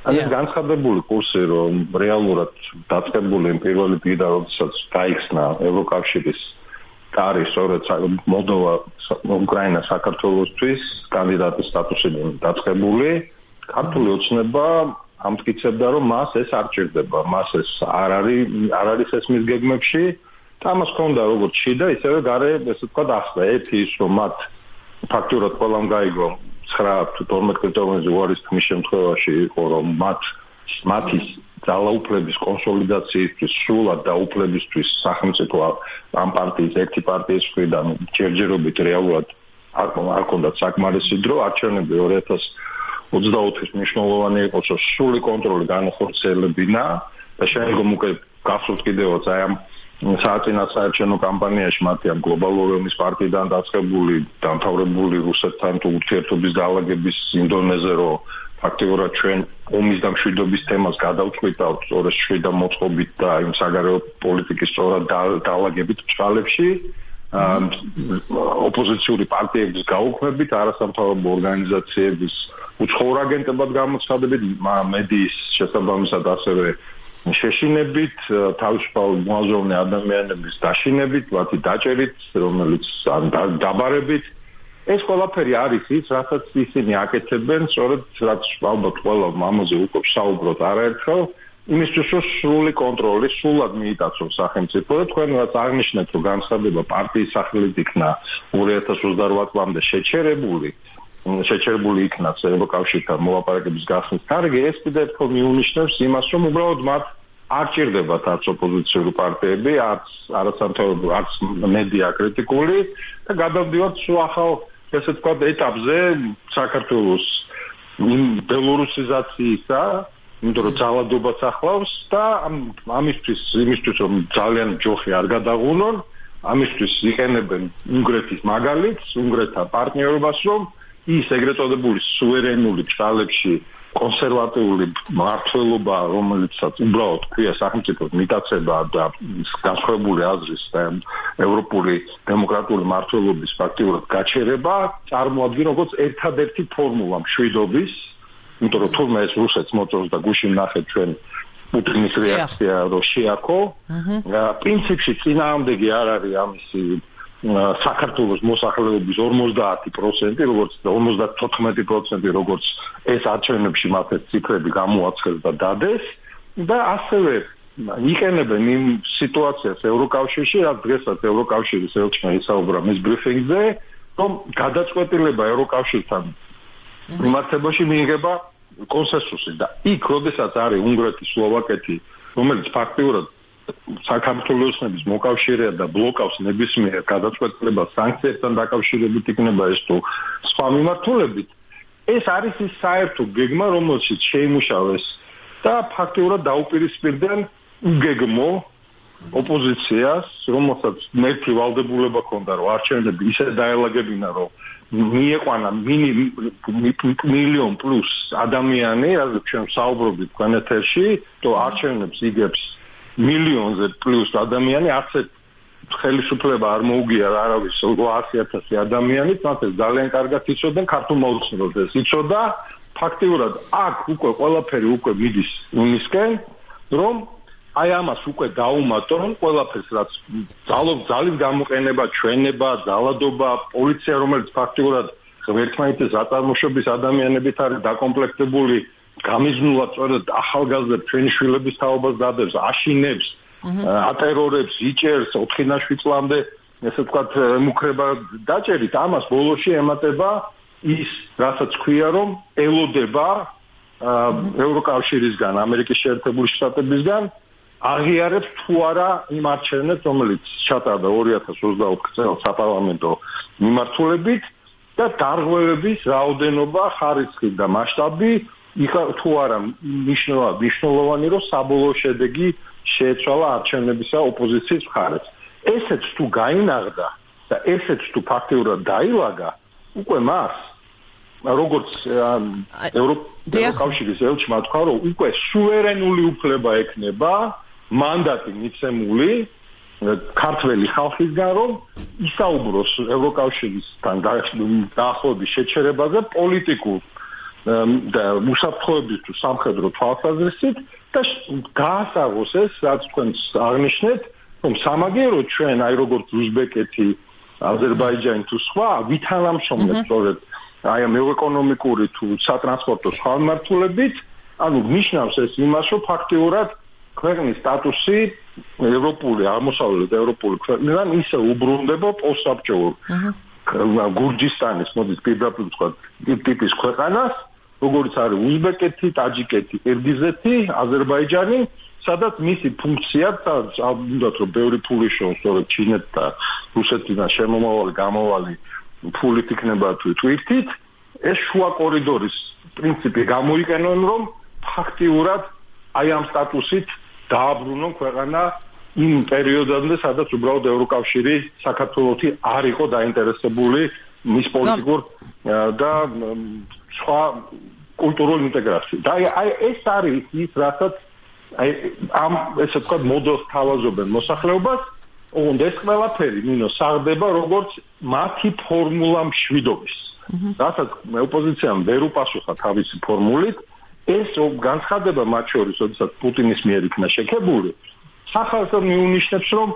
ეს განცხადებული კურსი, რომ რეალურად დაწყებული პირველი დღიდან, როდესაც გაიხსნა ევროკავშირის კარი, სწორედ მოლდოვა, უკრაინა საქართველოსთვის კანდიდატის სტატუსიდან დაწყებული, ქართული ოცნება ამტკიცებდა, რომ მას ეს არ ჭირდება, მას ეს არ არის ეს მის გეგმებში და ამას ჰქონდა როგორც შიდა, ისევე გარე, ესე ვთქვათ, ახლა ერთი ის, რომ მათ ფაქტურად ყველამ გაიგო 9-12 კრიტერიუმზე უარის თქმის შემთხვევაში იყო, რომ მათი ძალაუფლების კონსოლიდაციისთვის, სრულად დაუფლებისთვის სახელმწიფო ამ პარტიის ერთი პარტიის მხრიდან ჯერჯერობით რეალურად არ ჰქონდათ საკმარისი დრო, არჩევნები 2024-ის მნიშვნელოვანი იყო, რომ სრული კონტროლი განახორციელებინა და შემდგომ უკვე გახსოვთ კიდევაც აი ამ საარჩევნო კამპანიაში მათი ამ გლობალური ომის პარტიიდან დაწყებული დამთავრებული რუსეთთან თუ ურთიერთობის დაალაგების იმდონეზე, რომ ფაქტიურად ჩვენ ომის და მშვიდობის თემას გადავწყვიტავთ სწორედ შვიდა მოწყობით და იმ საგარეო პოლიტიკის სწორად დაალაგებით ჭრალებში, ოპოზიციური პარტიების გაუქმებით, არასამთავრობო ორგანიზაციების უცხოურ აგენტებად გამოცხადებით, მედიის შესაბამისად ასევე შეშინებით, თავისუფალ მოაზროვნე ადამიანების დაშინებით, მათი დაჭერით, რომელიც დაბარებით. ეს ყველაფერი არის ის, რასაც ისინი აკეთებენ, სწორედ რაც ალბათ ყველა ამაზე უკვე საუბრობთ არაერთხელ, იმისთვის რომ სრული კონტროლი სრულად მიიტაცონ სახელმწიფო და თქვენ რაც აღნიშნეთ, რომ განცხადება პარტიის სახელით იქნა 2028 წლამდე შეჩერებული იქნას ევროკავშირთან მოლაპარაკების გახსნის თარიღი, ეს კიდევ ერთხელ მიუნიშნებს იმას, რომ უბრალოდ მათ არ ჭირდებათ არც ოპოზიციური პარტიები, არასამთავრობო, არც მედია კრიტიკული და გადავდივართ სულ ახალ, ესე ვთქვათ, ეტაპზე საქართველოს ბელორუსიზაციისა, იმიტომ რომ ძალადობას ახლავს და იმისთვის რომ ძალიან ჯოხი არ გადაღუნონ, ამისთვის იყენებენ უნგრეთის მაგალითს, უნგრეთთან პარტნიორობას, რომ ის ეგრეთ წოდებული სუვერენული ჭრალებში კონსერვატიული მმართველობა, რომელიცაც უბრალოდ ქვია სახელმწიფოს მიტაცება და განსხვავებული აზრის და ევროპული დემოკრატიული მმართველობის ფაქტიურად გაჩერება, წარმოადგენს როგორც ერთადერთი ფორმულა მშვიდობის, იმიტომ რომ თურმე ეს რუსეთს მოწონს და გუშინ ნახეთ ჩვენ პუტინის რეაქცია რომ შეაქო, პრინციპში წინააღმდეგი არ არის ამისი საქართველოს მოსახლეობის 50%, როგორც 54%, როგორც ეს არჩევნებში მათ ეს ციფრები გამოაცხეს და დადეს და ასევე იყენებენ იმ სიტუაციას ევროკავშირში, რაც დღესაც ევროკავშირის ელჩმა ისაუბრა მის ბრიფინგზე, რომ გადაწყვეტილება ევროკავშირთან მიმართებაში მიიღება კონსენსუსი და იქ, როდესაც არის უნგრეთი, სლოვაკეთი, რომელიც ფაქტიურად საქართველოს ოცნების მოკავშირეა და ბლოკავს ნებისმიერ გადაწყვეტილებას სანქციებთან დაკავშირებით იქნება ეს თუ სხვა მიმართულებით, ეს არის ის საერთო გეგმა, რომელშიც შეიმუშავეს და ფაქტიურად დაუპირისპირდნენ უგეგმო ოპოზიციას, რომელსაც მერქი ვალდებულება ჰქონდა, რომ არჩევნები ისე დაელაგებინა, რომ მieყვანა მილიონ პლუს ადამიანი, რადგან ჩვენ საუბრობთ განეთერში, то არჩევნებს იგებს მილიონზე პლუს ადამიანი, არც ხელისუფლება არ მოუგია არავის 800,000 ადამიანით, მათ ეს ძალიან კარგად იცოდნენ, ქართულ მოლოცნობას იცოდა, ფაქტიურად აქ უკვე ყველაფერი უკვე მიდის იმისკენ, რომ აი ამას უკვე დაუმატონ ყველაფერს, რაც ძალის გამოყენება, ჩვენება, ძალადობა, პოლიცია, რომელიც ფაქტიურად ერთმანეთის აწარმოების ადამიანებით არის დაკომპლექტებული, გამიზნულად სწორედ ახალგაზრდა ჩვენი შვილების თაობას დადებს, აშინებს, ატერორებს, იჭერს 4-7 წლამდე, ესე ვთქვათ, მუქრება დაჭერით, ამას ბოლოში ემატება ის, რასაც ქვია, რომ ელოდება ევროკავშირისგან, ამერიკის შეერთებული შტატებისგან აღიარებს თუ არა იმ არჩევნებს, რომელიც ჩატარდა 2024 წელს საპარლამენტო მიმართულებით და დარღვევების რაოდენობა, ხარისხი და მასშტაბი თუ არა მნიშვნელოვანი, რომ საბოლოო შედეგი შეეცვალა არჩევნებისა ოპოზიციის მხარეს. ესეც თუ გაინაღდა და ესეც თუ ფაქტიურად დაილაგა, უკვე მას როგორც ევროკავშირის ელჩმა თქვა, რომ უკვე სუვერენული უფლება ექნება მანდატი მიცემული ქართველი ხალხისგან, რომ ისაუბროს ევროკავშირისთან დაახლოების შეჩერებაზე პოლიტიკურ და უსაფრთხოების თუ სამხედრო თვალსაზრისით და გაასაღოს ეს, რაც თქვენს აღნიშნეთ, რომ სამაგიეროდ ჩვენ, აი როგორც უზბეკეთი, აზერბაიჯანი თუ სხვა, ვითანამშრომლებს სწორედ აი ამ ეკონომიკური თუ სატრანსპორტო სხვა მიმართულებით, ანუ ნიშნავს ეს იმას, რომ ფაქტიურად ქვეყნის სტატუსი ევროპული, აღმოსავლეთ ევროპული ქვეყნიდან ისე უბრუნდება პოსტსაბჭოურ გურჯისტანის, მოდით პირდაპირ ვთქვათ, ტიპის ქვეყანას, როგორც არის უზბეკეთი, ტაჯიკეთი, ყირგიზეთი, აზერბაიჯანი, სადაც მისი ფუნქცია, ალბათ რომ ბევრი ფული შოუნ, სწორედ ჩინეთ და რუსეთიდან შემომავალი, გამოვალი ფულით იქნება თუ ტვირთით, ეს შუა კორიდორის პრინციპი გამოიყენონ, რომ ფაქტიურად აი ამ სტატუსით დააბრუნონ ქვეყანა იმ პერიოდამდე, სადაც უბრალოდ ევროკავშირი საქართველოსი არ იყო დაინტერესებული მის პოლიტიკურ და სხვა კულტურულ ინტეგრაციით. აი ეს არის ის, რასაც აი ამ ესე ვთქვათ მოდელს თავაზობენ მოსახლეობას, ოღონდ ეს ყველაფერი ნინო საღდება როგორც მათი ფორმულა მშვიდობის. რასაც ოპოზიციამ ვერ უპასუხა თავისი ფორმულით, ეს განცხადება მათ შორის, როდესაც პუტინის მიერ იქნა შექებული, სახალხო მიუნიშნებს, რომ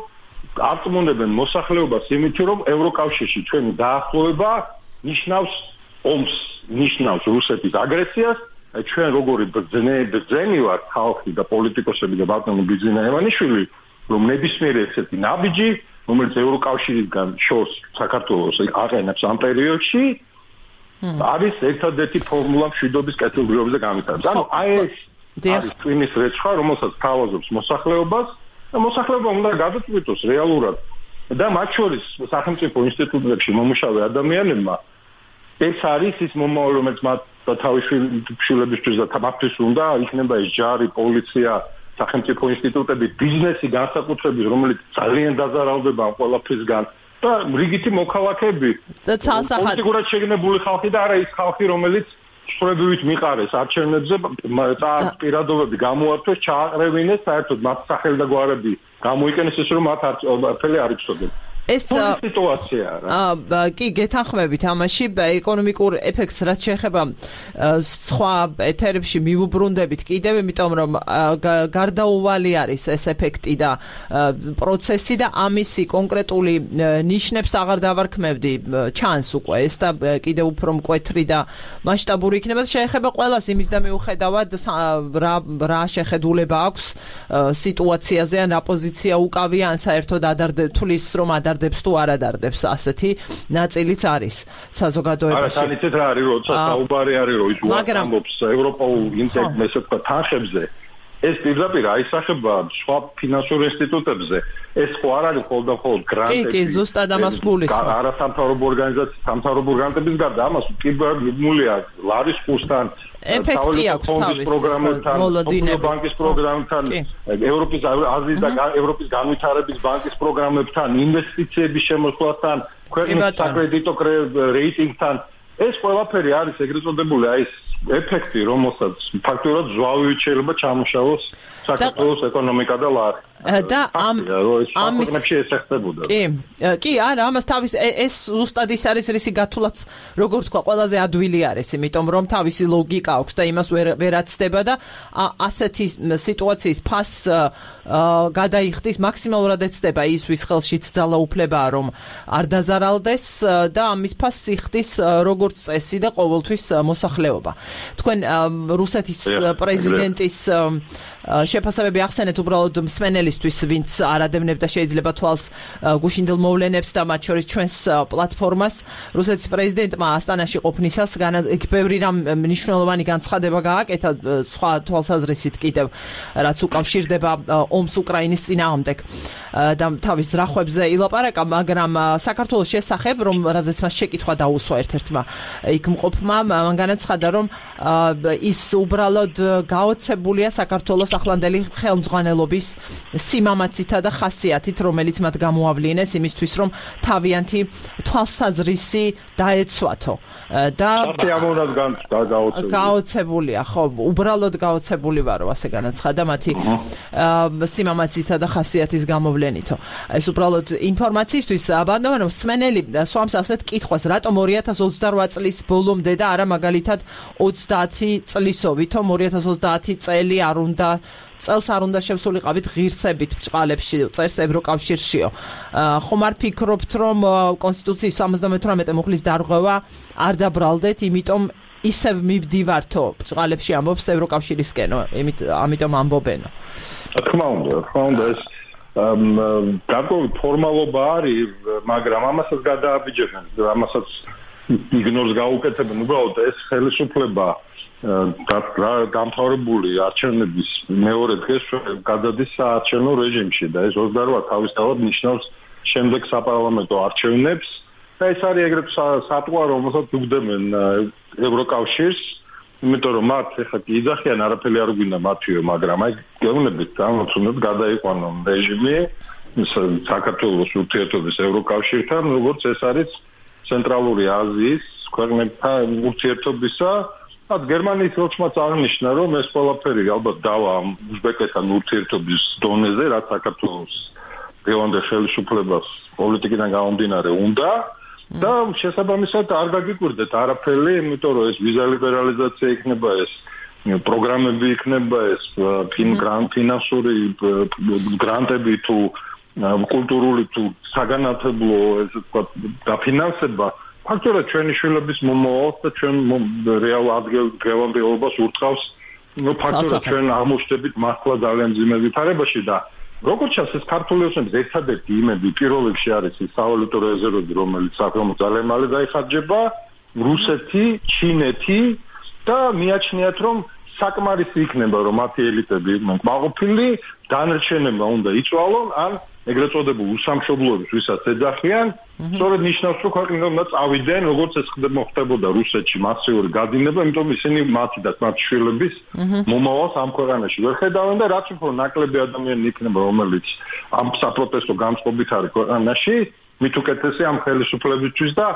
აწმუნებენ მოსახლეობას იმითი, რომ ევროკავშირში ჩვენი დაახლოება ნიშნავს ომს, ნიშნავს რუსეთის აგრესიას, ჩვენ როგორი ბრძენი ვართ ხალხი და პოლიტიკოსები და ბატონი ბიძინა ევანიშვილი, რომ ნებისმიერი ესეთი ნაბიჯი, რომელიც ევროკავშირისგან შორს საქართველოს აყენებს ამ პერიოდში, არის ერთადერთი ფორმულა მშვიდობის კეთილდღეობაზე გამიტანს. ანუ აი ეს არის ტვინის რეცხვა, რომელსაც თავაზობს მოსახლეობას და მოსახლეობა უნდა გადაწყვიტოს რეალურად და მათ შორის სახელმწიფო ინსტიტუტებში მომუშავე ადამიანებმა ეს არის ის მომავალი, რომელიც მათ თავის შვილებისთვის და თამათთვის უნდა იქნება ეს ჯარი, პოლიცია, სახელმწიფო ინსტიტუტები, ბიზნესი განსაკუთრებით, რომელიც ძალიან დაზარალდება ამ ყველაფრისგან და რიგითი მოქალაქეები და პოლიტიკურად შეგნებული ხალხი და არა ის ხალხი, რომელიც სწორებით მიყარეს არჩევნებზე, პირადობები გამოართვეს, ჩააყრევინეს, საერთოდ მათ სახელი და გვარები გამოიყენეს ის, რომ მათ არაფერი არ იცოდნენ. ეს სიტუაციაა. კი, გეთანხმებით ამაში, ეკონომიკურ ეფექტს რაც შეეხება სხვა ეთერებში მივუბრუნდებით კიდევ, იმიტომ რომ გარდაუვალი არის ეს ეფექტი და პროცესი და ამისი კონკრეტული ნიშნებს აღარ დავარქმევდი, ჩანს უკვე ეს და კიდევ უფრო მკვეთრი და მასშტაბური იქნება. შეეხება ყველას იმის და მიუხედავად რა შეხედულება აქვს სიტუაციაზე, ან აპოზიცია უკავია, ან საერთოდ თulis რომ დარდებს თუ არ ადარდებს, ასეთი ნაწილიც არის საზოგადოებაში. არა, თანიცეთ რა არის, როცა საუბარი არის, რომ ის უარყოფს ევროპულ ინტეგრაციას თანხებზე, ეს პირდაპირ აისახება სხვა ფინანსურ ინსტიტუტებზე. ეს ხო არ არის მხოლოდ გრანტები. კი, ზუსტად ამას გულისხმობ. არასამთავრობო ორგანიზაციის სამთავრობო გრანტების გარდა ამას კიბერმულია ლარის კურსთან, ეფექტი აქვს თავის პროგრამებთან, ბანკის პროგრამებთან, ევროპის აზიის და ევროპის განვითარების ბანკის პროგრამებთან, ინვესტიციების შემოსვლასთან, ქვეყნის საკრედიტო რეიტინგთან. ეს ყველაფერი არის ეგრეთ წოდებული აი ეს ეფექტი, რომელსაც ფაქტურად ზვავივით შეიძლება ჩამოშალოს საქართველოს ეკონომიკა და ლარი. და ამის ესახებოდა. კი, არა, ამას თავის ეს ზუსტად ის არის რისი გათვლაც როგორც თქვა ყველაზე ადვილი არის, იმიტომ რომ თავისი ლოგიკა აქვს და იმას ვერ აცდება და ასეთი სიტუაციის ფასს გადაიხდის მაქსიმალურად ეცდება ის ვის ხელშიც ძალა უფლებაა რომ არ დაზარალდეს და ამის ფასს იხდის როგორც წესი და ყოველთვის მოსახლეობა. თქვენ რუსეთის პრეზიდენტის შეფასებები ახსენეთ უბრალოდ მსმენელისთვის, ვინც არ ადევნებდა შეიძლება თვალს გუშინდელ მოვლენებს და მათ შორის ჩვენს პლატფორმას. რუსეთის პრეზიდენტმა ასტანაში ყოფნისას ბევრი რამ მნიშვნელოვანი განცხადება გააკეთა სხვა თვალსაზრისით კიდევ, რაც უკავშირდება ომს უკრაინის წინააღმდეგ და თავის ზრახვებზე ილაპარაკა, მაგრამ საქართველოს შესახებ, რომ რაზეც მას შეკითხვა დაუსვა ერთ-ერთმა იქ მყოფმა, მან განაცხადა, რომ ის უბრალოდ გაოცებულია საქართველოს ახლანდელი ხელმძღვანელობის სიმამაცითა და ხასიათით, რომელიც მათ გამოავლინეს იმისთვის, რომ თავიანთი თვალსაზრისი დაეცვათო. და გაოცებულია, ხო, უბრალოდ გაოცებული ვარო, ასე განაცხადა მათი სიმამაცითა და ხასიათის გამოვლენითო. ეს უბრალოდ ინფორმაციისთვის ბანდოვანო მსმენელი სვამს ასეთ კითხვას, რატომ 2028 წლის ბოლომდე და არა მაგალითად 30 წლისოვითო 2030 წელი არ უნდა წელს არ უნდა შევსულიყავით ღირსებით ბჭყალებში, წერს ევროკავშირშიო. ხომ არ ფიქრობთ, რომ კონსტიტუციის 78 მუხლის დარღვევა არ დაბრალდეთ, იმიტომ ისევ მივდივართო ბჭყალებში ამბობს ევროკავშირისკენო, ამიტომ ამბობენო. თქმა უნდა, ეს გარკვეული ფორმალობა არის, მაგრამ ამასაც გადააბიჯებენ, ამასაც იგნორს გაუკეთებენ, უბრალოდ ეს ხელისუფლება დამთავრებული არჩევნების მეორე დღეს გადადის საარჩევნო რეჟიმში და ეს 28 თავისთავად ნიშნავს შემდეგ საპარლამენტო არჩევნებს და ეს არის ეგრეთ სატყვა, რომელსაც უგდებენ ევროკავშირს, იმიტომ რომ მათ ეხლა კი იძახიან არაფერი არ გვინდა მათიო, მაგრამ აი გეუბნებით ამოცნოთ გადაიყვანონ რეჟიმი საქართველოს ურთიერთობის ევროკავშირთან, როგორც ეს არის ცენტრალური აზიის ქვეყნებთან ურთიერთობისა. გერმანიის ელჩმაც აღნიშნა, რომ ეს ყველაფერი ალბათ დავა უზბეკეთთან ურთიერთობის დონეზე, რაც საქართველოს დღევანდელ ხელისუფლებას პოლიტიკიდან გამომდინარე უნდა და შესაბამისად არ გაგიკვირდეთ არაფერი, იმიტომ რომ ეს ვიზა ლიბერალიზაცია იქნება, ეს პროგრამები იქნება, ეს ფინანსური გრანტები თუ კულტურული თუ საგანმანათლებლო ეს თქვა დაფინანსება ფაქტობრივად ჩვენი შვილების მომავალს და ჩვენ რეალ ადგილ-დღევანდელობას ურტყავს, ფაქტობრივად ჩვენ აღმოჩნდებით მართლა ძალიან მძიმე ვითარებაში და როგორც ჩანს ეს ქართული ოცნების ერთადერთი იმედი პირველ რიგში არის ის სავალუტო რეზერვები, რომელიც საქართველოს ძალიან მალე დაიხარჯება, რუსეთი, ჩინეთი და მიაჩნიათ რომ საკმარისი იქნება რომ მათი ელიტები მაყოფილი დანარჩენებმა უნდა იწვალონ ან ეგრეთ წოდებულ უსამშობლოებს ვისაც ეძახიან, სწორედ ნიშნავს რომ ქვეყნიდან უნდა წავიდნენ, როგორც ეს ხდებოდა რუსეთში მასიური გადინება, იმიტომ ისინი მათი და მათი შვილების მომავალს ამ ქვეყანაში ვერ ხედავენ და რაც უფრო ნაკლები ადამიანი იქნება, რომელიც ამ საპროტესტო განწყობით არის ქვეყანაში, მით უკეთესი ამ ხელისუფლებისთვის და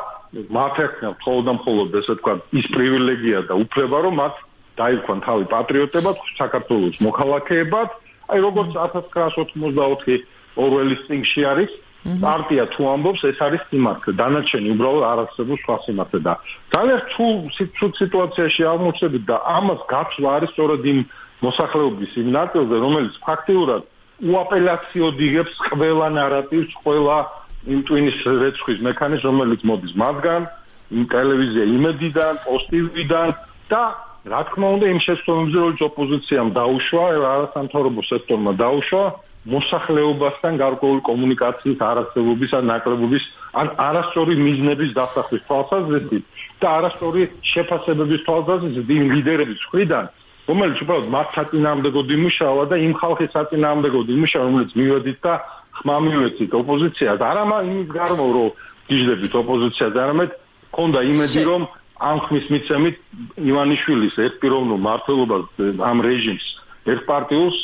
მათ ეხნათ მხოლოდ ესე თქვა ის პრივილეგია და უფლება, რომ მათ დაიქვან თავი პატრიოტებად, საქართველოს მოქალაქეებად, აი როგორც 1984 ორველის წიგნში არის, პარტია თუ ამბობს, ეს არის სიმართლე, დანარჩენი უბრალოდ არ არსებობს სხვა სიმართლე და ძალიან ცუდ სიტუაციაში აღმოჩნდებით და ამას გაცვლა არის სწორედ იმ მოსახლეობის იმ ნაწილზე, რომელიც ფაქტიურად უაპელაციოდ იღებს ყველა ნარატივს, ყველა იმ ტვინის რეცხვის მექანიზმს, რომელიც მოდის მათგან, იმ ტელევიზია იმედიდან, პოსტივიდან და რა თქმა უნდა იმ შეცდომებზე, რომელიც ოპოზიციამ დაუშვა, არასამთავრობო სექტორმა დაუშვა მოსახლეობასთან გარკვეული კომუნიკაციის არარსებობის ან ნაკლებობის ან არასწორი მიზნების დასახვის თვალსაზრისით და არასწორი შეფასებების თვალსაზრისით იმ ლიდერების მხრიდან, რომელიც უბრალოდ მათ საწინააღმდეგოდ იმუშავა და იმ ხალხის საწინააღმდეგოდ იმუშავა, რომელიც მივედით და ხმა მივეცით ოპოზიციას. არა იმის გარმო, რომ გიждებით ოპოზიციას, არამედ ქონდა იმედი, რომ ამ ხმის მიცემით ივანიშვილის ერთპიროვნულ მმართველობას, ამ რეჟიმს, ერთპარტიულს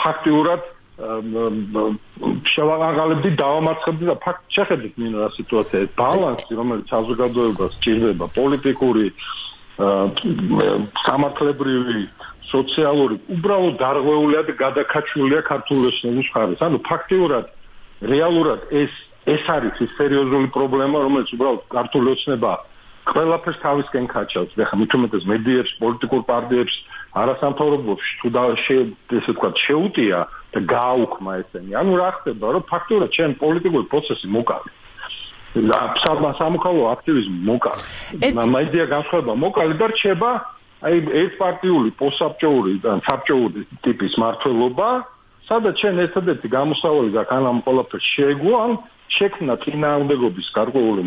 ფაქტიურად შევაღალებდი, დავამარცხებდი და ფაქტ შეხედეთ მინდა რა სიტუაციაა. ბალანსი, რომელიც საზოგადოებას სჭირდება, პოლიტიკური, სამართლებრივი, სოციალური, უბრალოდ დარღვეულია და გადაკაჩულია ქართული ოცნების მხარეს. ანუ ფაქტიურად, რეალურად ეს არის ის სერიოზული პრობლემა, რომელიც უბრალოდ ქართული ოცნება ყველაფერს თავისკენ ქაჩავს. ეხლა მithumetes მედიებს, პოლიტიკურ პარტიებს, არასამთავრობოებში თუ ესე ვთქვათ, შეუტია და გააუქმა ესენი. ანუ რა ხდება, რომ ფაქტიურად ჩვენ პოლიტიკური პროცესი მოკალე. სამოქალაქო აქტივიზმი მოკალე. მედია განსხვავება მოკალე და რჩება ერთპარტიული, პოსტსაბჭოური და საბჭოური ტიპის მმართველობა, სადაც ჩვენ ერთადერთი გამოსავალი და ამ ყველაფერს შეეგუან შექმნა წინააღმდეგობის გარკვეული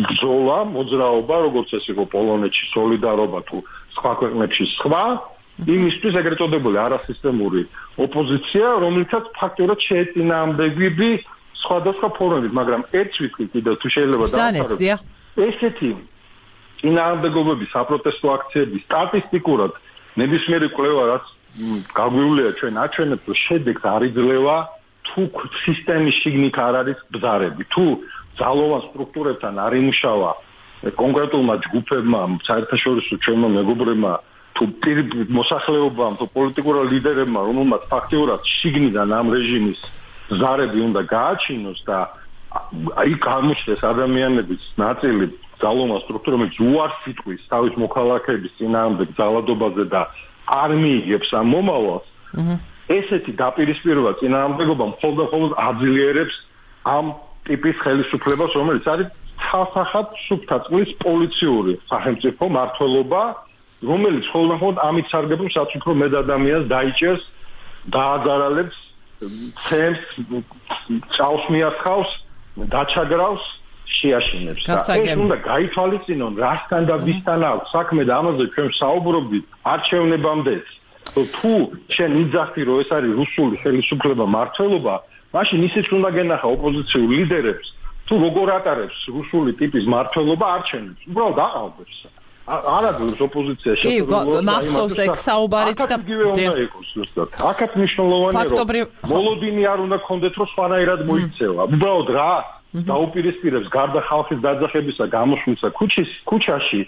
ბრძოლა, მოძრაობა, როგორც ეს იყო პოლონეთში სოლიდარობა თუ სხვა ქვეყნებში სხვა, იმისთვის ეგრეთ წოდებული არასისტემური ოპოზიცია, რომელიცაც ფაქტობრივად შეეწინააღმდეგებდი სხვადასხვა ფორმებით, მაგრამ ერთს ვიტყვი კიდევ თუ შეიძლება დავახაროთ. ესეთი წინააღმდეგობები, საპროტესტო აქციები სტატისტიკურად ნებისმიერი კვლევა რაც გაგვივლია ჩვენ აჩვენებს, რომ შედეგს არ იძლევა თუ სისტემის შიგნით არ არის ბზარები, თუ ძალოვან სტრუქტურებთან არ იმუშავა კონკრეტულმა ჯგუფებმა, საერთაშორისო ჩვენმა მეგობრებმა, თუ მოსახლეობამ, თუ პოლიტიკურ ლიდერებმა, რომელმაც ფაქტიურად შიგნიდან ამ რეჟიმის ბზარები უნდა გააჩინოს და აი გამოჩნდეს ადამიანების ნაწილი ძალოვან სტრუქტურებში უარს იტყვის თავის მოქალაქეების წინააღმდეგ ძალადობაზე და არ მიიღებს ამ მომავალს. ესეთი დაპირისპირება წინააღმდეგობა მხოლოდ აძლიერებს ამ ტიპის ხელისუფლებას, რომელიც არის ცალსახად სუფთა წყლის პოლიციური სახელმწიფო მმართველობა, რომელიც მხოლოდ ამით სარგებლობს, რაც უფრო მეტ ადამიანს დაიჭერს, დააძარალებს, ცემს, წავს მიასხავს, დაჩაგრავს, შეაშინებს. ეს უნდა გაითვალისწინონ, რასთან და ვისთან აქვს საქმე და ამაზე ჩვენ საუბრობდით არჩევნებამდეც. თუ შენ იძახი რომ ეს არის რუსული ხელისუფლება მმართველობა, მაშინ ისიც უნდა გენახა ოპოზიციურ ლიდერებს, თუ როგორ ატარებს რუსული ტიპის მმართველობა არჩევნებს. უბრალოდ აყალბებს. არადროს ოპოზიცია შეფერილობა მახსოვს ეგ საუბარიც და აქაც მნიშვნელოვანია რომ მოლოდინი არ უნდა კონდეთ რომ სხვანაირად მოიქცევა. უბრალოდ რა დაუპირისპირებს გარდა ხალხის დაძახებისა გამოშვისა ქუჩაში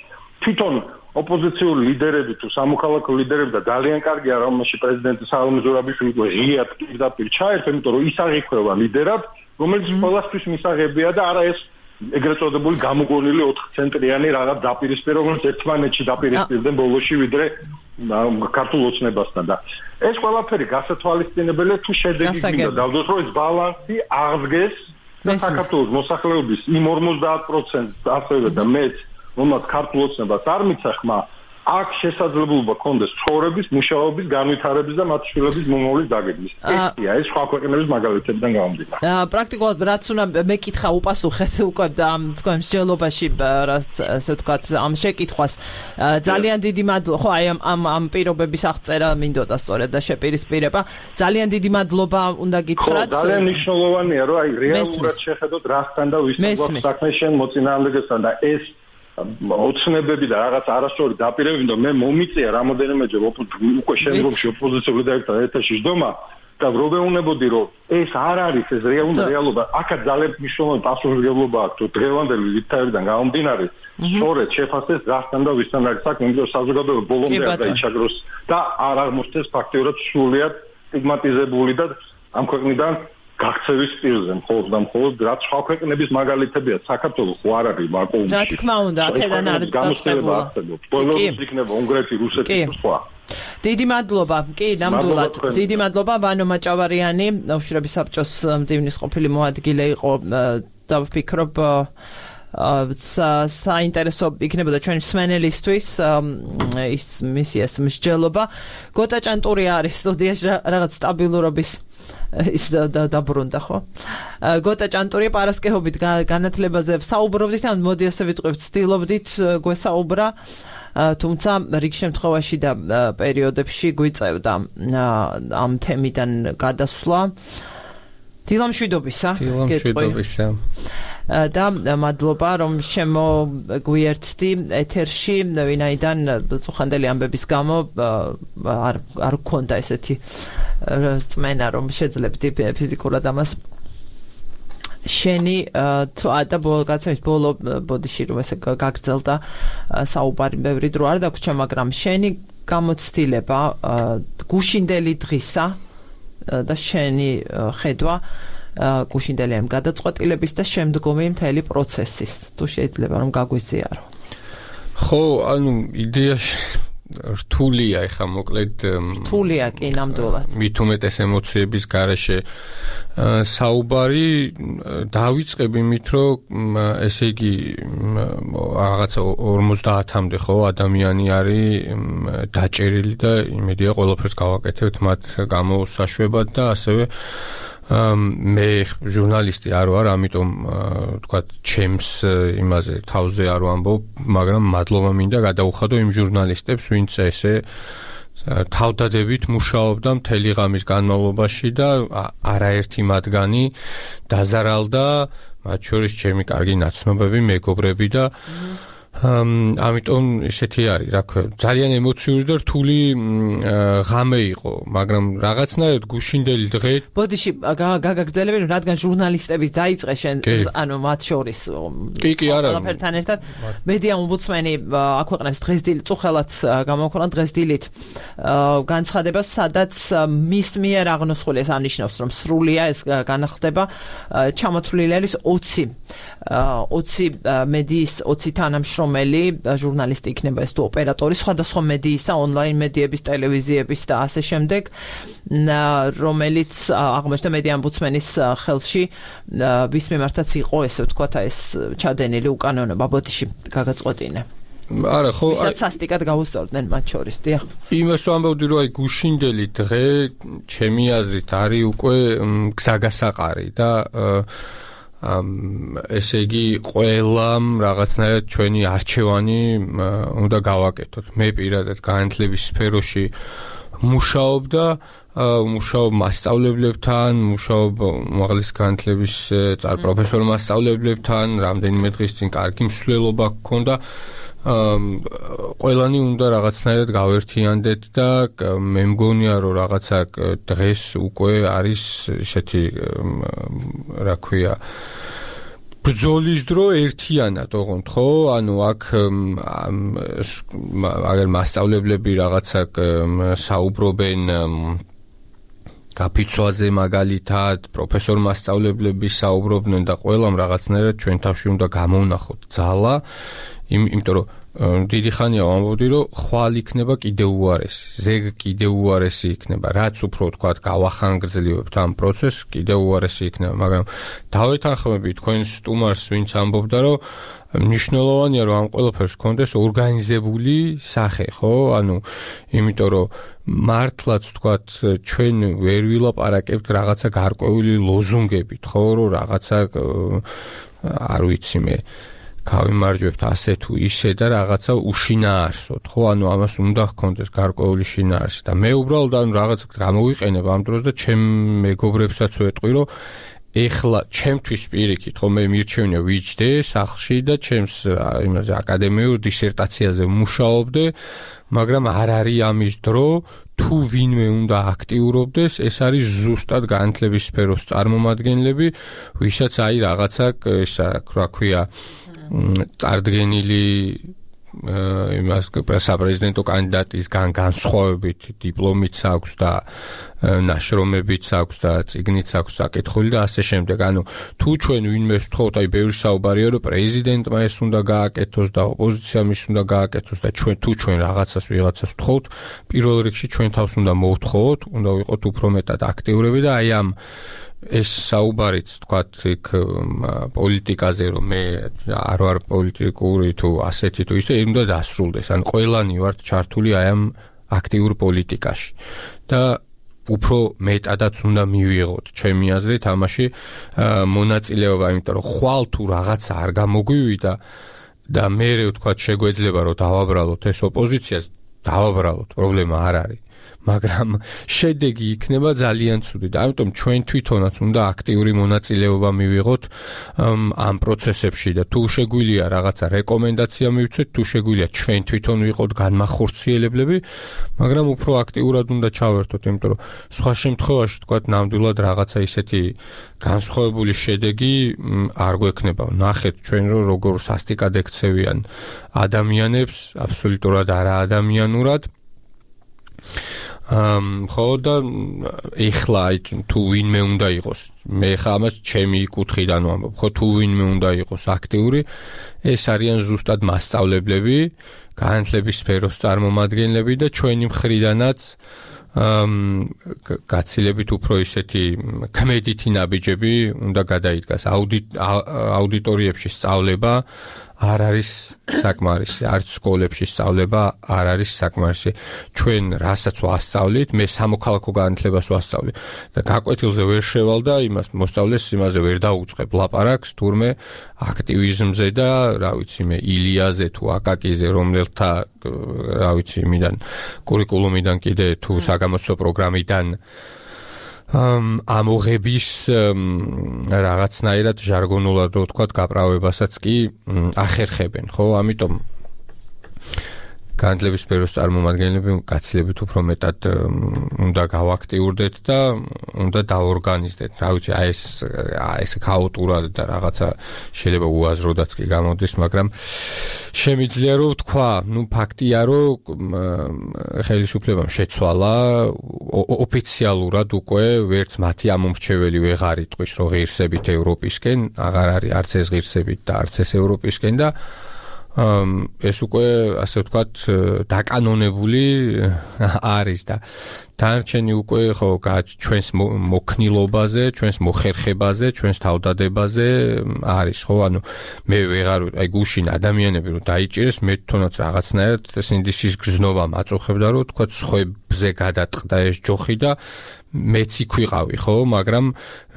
თვითონ ოპოზიციური ლიდერები თუ სამოქალაქო ლიდერები და ძალიან კარგია რომელში პრეზიდენტი სალომე ზურაბიშვილი ღიად პირდაპირ ჩაერთო, იმიტომ რომ ის აღიქვევა ლიდერად, რომელიც ყველასთვის მისაღებია და არა ეს ეგრეთ წოდებული გამოგონილი 4 ცენტრიანი რაღაც დაპირისპირება, რომელიც ერთმანეთში დაპირისპირდნენ ბოლოში ვიდრე ქართულ ოცნებასთან და ეს ყველაფერი გასათვალისწინებელია თუ შედეგი გინდა დავდოთ რომ ეს ბალანსი აღდგეს და საქართველოს მოსახლეობის იმ 50% ასევე და მეც რომელსაც ქართულ ოცნებას არ მიცა ხმა, აქ შესაძლებლობა ქონდეს ცხოვრების, მუშაობის, განვითარების და მათ შვილების მომავლის დაგეგმვის. ესია ეს სხვა ქვეყნების მაგალითებიდან გამომდინარე. პრაქტიკულად რაც უნდა მეკითხა უპასუხეთ უკვე თქვენ მსჯელობაში, ასე ვთქვათ, ამ შეკითხვას ძალიან დიდი მადლობა. ხო, აი ამ პირობების აღწერა მინდოდა სწორედ და შეპირისპირება. ძალიან დიდი მადლობა უნდა გითხრათ. ძალიან მნიშვნელოვანია, რომ აი რეალურად შეხედოთ რასთან და ვისთან საქმე შენ მოწინააღმდეგესთან და ეს ოცნებები და რაღაც არასწორი დაპირებები და მე მომიწია რამოდენიმეჯერ უკვე შემდგომში ოპოზიციური ლიდერებთან ერთაში ჯდომა და ვეუბნებოდი რომ ეს არ არის ეს რეალობა. აქაც ძალიან მნიშვნელოვანი პასუხისმგებლობა აქვს თუ დღევანდელი ვითარებიდან გამომდინარე სწორედ შეფასდეს რასთან და ვისთან არის საქმე, იმიტომ რომ საზოგადოება ბოლომდე არ დაიჩაგროს და არ აღმოჩნდეს ფაქტიურად სრულიად სტიგმატიზებული და ამ ქვეყნიდან გაქცევის პირზე მხოლოდ რაც სხვა ქვეყნების მაგალითებია საქართველოს ხო არ არის ვაკუუმში. რა თქმა უნდა, აქედან არის გამოცხადება არსებობს. բոլორიც იქნება უნგრეთი, რუსეთი და სხვა. დიდი მადლობა. კი, ნამდვილად. დიდი მადლობა ვანო მაჭავარიანი, უშრების საბჭოს მდივნის ყოფილი მოადგილე იყო და ვფიქრობ საინტერესო იქნებოდა ჩვენი მსმენელისთვის ის მისიას მსჯელობა. გოტა ჭანტური არის სტუდიაში რაღაც სტაბილურობის ის დაბრუნდა ხო? გოტა ჭანტური პარასკევობით განათლებაზე საუბრობდით, ან მოდი ასე ვიტყვით, ცდილობდით გვესაუბრა თუმცა რიგ შემთხვევაში და პერიოდებში გვიწევდა ამ თემიდან გადასვლა. დილამშვიდობისა. და მადლობა რომ შემოგვიერთდი ეთერში, ვინაიდან წუხანდელი ამბების გამო არ გქონდა ესეთი წმენა რომ შეძლებდი ფიზიკურად ამას. შენი და გაცემის ბოლო ბოდიში რომ ესე გაგრძელდა საუბარი ბევრი დრო არ დაგვრჩა, მაგრამ შენი გამოცდილება გუშინდელი დღისა და შენი ხედვა გუშინდელი ამ გადაწყვეტილების და შემდგომი მთელი პროცესის თუ შეიძლება რომ გაგვიზიარო. ხო, ანუ იდეაში რთულია ეხა მოკლედ რთულია კი ნამდვილად. მით უმეტეს ემოციების გარეშე საუბარი დავიწყებ იმით რომ ესე იგი რაღაცა 50-მდე ხო ადამიანი არის დაჭერილი და იმედია ყველაფერს გავაკეთებთ მათ გამოსაშვებად და ასევე მე ჟურნალისტი არ ვარ, ამიტომ თქვათ ჩემს იმაზე თავზე არ ვამბობ, მაგრამ მადლობა მინდა გადაუხადო იმ ჟურნალისტებს, ვინც ესე თავდადებით მუშაობდა მთელი ღამის განმავლობაში და არაერთი მათგანი დაზარალდა, მათ შორის ჩემი კარგი ნაცნობები, მეგობრები და ამიტომ ესეთი არის, რა ქვია, ძალიან ემოციური და რთული ღამე იყო, მაგრამ რაღაცნაირად გუშინდელი დღე. ბოდიში გაგაგრძელები, რადგან ჟურნალისტები დაიწყე შენ, ანუ მათ შორის. კი, არა. ყველაფერთან ერთად მედია ომბუდსმენი აქვეყნებს დღესდილით, წუხელაც გამოაქვეყნა დღესდილით განცხადებას, სადაც მის მიერ აღნოსხული ეს ამნიშნავს, რომ სრულია ეს განახდება, ჩამოთვლილი არის 20 მედიის 20 თანამშრომელი ჟურნალისტი იქნება ეს თუ ოპერატორი სხვადასხვა მედიისა, ონლაინ მედიების, ტელევიზიების და ასე შემდეგ, რომელიც აღმოჩნდა მედია ომბუდსმენის ხელში, ვის მიმართაც იყო ესე ვთქვათ ეს ჩადენილი უკანონობა. ბოდიში გაგაწყვეტინე. არა, ხო, ვისაც სასტიკად გაუსწორდნენ მათ შორის, დიახ. იმას ვამბობდი, რომ აი გუშინდელი დღე ჩემი აზრით არის უკვე გზაგასაყარი და ესე იგი ყველამ რაღაცნაირად ჩვენი არჩევანი უნდა გავაკეთოთ. მე პირადად განათლების სფეროში მუშაობ მასწავლებლებთან, მუშაობ უმაღლესი განათლების პროფესორ მასწავლებლებთან, რამდენიმე დღის წინ კარგი მსვლელობა გქონდა. ყველანი უნდა რაღაცნაირად გავერთიანდეთ და მე მგონია რომ რაღაცა დღეს უკვე არის ესეთი რა ქვია ბრძოლის დრო ერთიანად, ოღონდ ხო? ანუ აქ აგერ მასწავლებლები რაღაცა საუბრობენ გაფიცვაზე მაგალითად, პროფესორ მასწავლებლები საუბრობდნენ და ყველამ რაღაცნაირად ჩვენ თავში უნდა გამოვნახოთ ძალა, იმიტომ რომ დიდი ხანია ვამბობდი, რომ ხვალ იქნება კიდევ უარესი, ზეგ კიდევ უარესი იქნება, რაც უფრო თქვათ გავახანგრძლივებთ ამ პროცესს, კიდევ უარესი იქნება, მაგრამ დავეთანხმები თქვენ სტუმარს, ვინც ამბობდა, რომ მნიშვნელოვანია რომ ამ ყველაფერს გქონდეს ორგანიზებული სახე, ხო? ანუ იმიტომ რომ მართლაც თქვათ ჩვენ ვერ ვილაპარაკებთ რაღაცა გარკვეული ლოზუნგებით, ხო, რომ რაღაცა არ ვიცი მე გავიმარჯვებთ ასე თუ ისე და რაღაცა უშინაარსოთ, ხო? ანუ ამას უნდა გქონდეს გარკვეული შინაარსი და მე უბრალოდ ანუ რაღაც გამოვიყენებ ამ დროს და ჩემ მეგობრებსაც ვეტყვი, რომ ეხლა ჩემთვის პირიქით, ხო, მე მირჩევნია ვიჯდე სახლში და ჩემს იმაზე აკადემიურ დისერტაციაზე მუშაობდე, მაგრამ არ არის ამის დრო, თუ ვინმე უნდა აქტიურობდეს, ეს არის ზუსტად განათლების სფეროს წარმომადგენლები, ვისაც აი რაღაცა ესა რა ქვია წარდგენილი იმას საპრეზიდენტო კანდიდატისგან განსხვავებით დიპლომიც აქვს და ნაშრომებიც აქვს და წიგნიც აქვს საკითხული და ასე შემდეგ. ანუ თუ ჩვენ ვინმე ვთხოვთ, აი ბევრი საუბარია, რომ პრეზიდენტმა ეს უნდა გააკეთოს და ოპოზიციამ ის უნდა გააკეთოს და ჩვენ რაღაცას ვიღაცას ვთხოვთ, პირველ რიგში ჩვენ თავს უნდა მოვთხოვოთ, უნდა ვიყოთ უფრო მეტად აქტიურები და აი ამ ეს საუბარიც თქვათ იქ პოლიტიკაზე რომ მე არ ვარ პოლიტიკური თუ ასეთი თუ ისე უნდა დასრულდეს. ან ყველანი ვართ ჩართული აი ამ აქტიურ პოლიტიკაში და უფრო მეტადაც უნდა მივიღოთ ჩემი აზრით ამაში მონაწილეობა, იმიტომ რომ ხვალ თუ რაღაცა არ გამოგვივიდა და მე ვთქვათ შეგვეძლება რომ დავაბრალოთ ეს ოპოზიციას, დავაბრალოთ, პრობლემა არ არის. მაგრამ შედეგი იქნება ძალიან ცუდი და ამიტომ ჩვენ თვითონაც უნდა აქტიური მონაწილეობა მივიღოთ ამ პროცესებში და თუ შეგვიძლია რაღაცა რეკომენდაცია მივცეთ, თუ შეგვიძლია ჩვენ თვითონ ვიყოთ განმახორციელებლები, მაგრამ უფრო აქტიურად უნდა ჩავერთოთ, იმიტომ რომ სხვა შემთხვევაში თქვათ ნამდვილად რაღაცა ისეთი განსხვავებული შედეგი არ გვექნება. ნახეთ ჩვენ როგორ სასტიკად ექცევიან ადამიანებს, აბსოლუტურად არაადამიანურად. ხო და ეხლა თუ ვინმე უნდა იყოს, მე ხა ამას ჩემი კუთხიდან ვამბობ, ხო თუ ვინმე უნდა იყოს აქტიური, ეს არიან ზუსტად მასწავლებლები, განათლების სფეროს წარმომადგენლები და ჩვენი მხრიდანაც გაცილებით უფრო ისეთი კმედითი ნაბიჯები უნდა გადაიდგას. აუდიტორიებში სწავლება არ არის საკმარისი, არც სკოლებში სწავლება არ არის საკმარისი. ჩვენ რასაც ვასწავლით, მე სამოქალაქო განათლებას ვასწავლი და გაკვეთილზე ვერ შევალ და იმას მოსწავლეს იმაზე ვერ დაუწყებ ლაპარაკს, თურმე აქტივიზმზე და რა ვიცი მე ილიაზე თუ აკაკიზე, რომელთა რა ვიცი იმიდან კურიკულუმიდან კიდე თუ საგამოცდო პროგრამიდან ამოღების რაღაცნაირად ჟარგონულად რო ვთქვათ გაправებასაც კი ახერხებენ, ხო? ამიტომ განათლების სფეროს წარმომადგენლები გაცილებით უფრო მეტად უნდა გავაქტიურდეთ და უნდა დაორგანიზდეთ. რა ვიცი, ეს ქაოტურად და რაღაცა შეიძლება უაზროდაც კი გამოდის, მაგრამ შემიძლია რომ ვთქვა, ფაქტია რომ ხელისუფლებამ შეცვალა ოფიციალურად უკვე ვერც მათი ამომრჩეველი ვეღარ იტყვის რომ ღირსებით ევროპისკენ, აღარ არის არც ეს ღირსებით და არც ეს ევროპისკენ და ეს უკვე ასე ვთქვათ დაკანონებული არის და დანარჩენი უკვე ხო ჩვენს მოქნილობაზე, ჩვენს მოხერხებაზე, ჩვენს თავდადებაზე არის, ხო? ანუ მე ვეღარ აი გუშინ ადამიანები რომ დაიჭირეს, მე თვითონაც რაღაცნაირად სინდისის გრძნობა მაწუხებდა რომ ვთქვათ სხვებზე გადატყდა ეს ჯოხი და მეც იქ ვიყავი, ხო? მაგრამ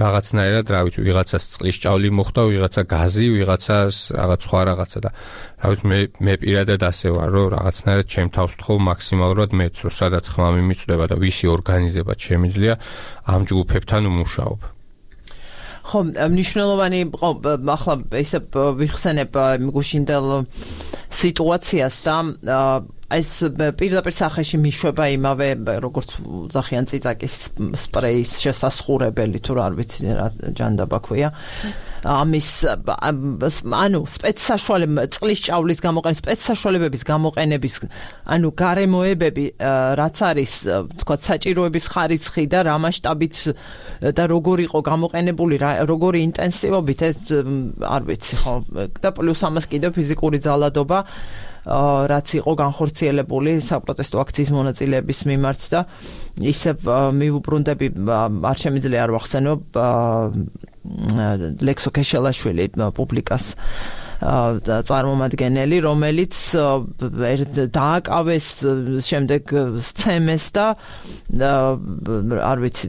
რაღაცნაირად, რა ვიცი, ვიღაცას წყლის ჭავლი მოხდა, ვიღაცა გაზი, ვიღაცას რაღაც სხვა რაღაცა და რა ვიცი, მე პირადად ასე ვარ, რომ რაღაცნაირად ჩემ თავს ვთხოვ მაქსიმალურად მეც, რომ სადაც ხმა მიმიწვდება და ვისი ორგანიზება შემიძლია ამ ჯგუფებთან ვმუშაობ. ხო, მნიშვნელოვანი ახლა ესე ვიხსენებ გუშინდელ სიტუაციას და ეს პირდაპირ სახეში მიშვება იმავე როგორც ზახიან წიწაკის სპრეის შესასხურებელი თუ არ ვიცი რა ჯანდაბა ქვია ამის ანუ სპეცსაშუალება წყლის ჭავლის გამოყენება სპეცსაშუალებების გამოყენების ანუ გარემოებები რაც არის თქვა საჭიროების ხარისხი და რა მასშტაბით და როგორ იყო გამოყენებული როგორი ინტენსივობით ეს არ ვიცი ხო და პლუს ამას კიდევ ფიზიკური ძალადობა რაც იყო განხორციელებული საპროტესტო აქციის მონაწილეების მიმართ და ისევ მივუბრუნდები არ შემიძლია არ ვახსენო ლექსო ქეშელაშვილი პუბლიკას წარმომადგენელი რომელიც დააკავეს შემდეგ სცემეს და არ ვიცი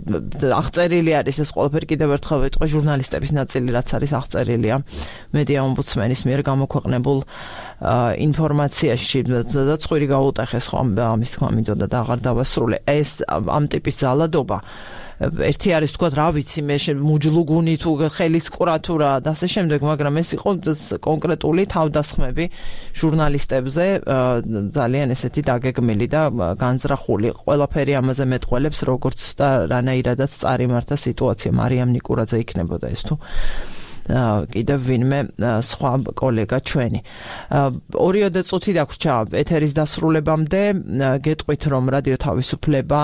აღწერილი არის ეს ყველაფერი კიდევ ერთხელ ვიტყვი ჟურნალისტების ნაწილი რაც არის აღწერილია მედია ომბუდსმენის მიერ გამოქვეყნებულ ინფორმაციაში და წვირი გაუტეხეს ხო ამის თქმა მინდოდა და აღარ დავასრულე ეს ამ ტიპის ძალადობა ერთი არის თქვა რა ვიცი მე მუჯლუგუნი თუ ხელის კურატურა და ასე შემდეგ მაგრამ ეს იყო კონკრეტული თავდასხმები ჟურნალისტებზე ძალიან ესეთი დაგეგმილი და განზრახული ყველაფერი ამაზე მეტყველებს როგორც და რანაირადაც წარიმართა სიტუაცია მარიამ ნიკურაძე იქნებოდა ეს თუ კიდევ ვინმე სხვა კოლეგა ჩვენი 2 წუთი დაგვრჩა ეთერის დასრულებამდე გეტყვით რომ რადიო თავისუფლება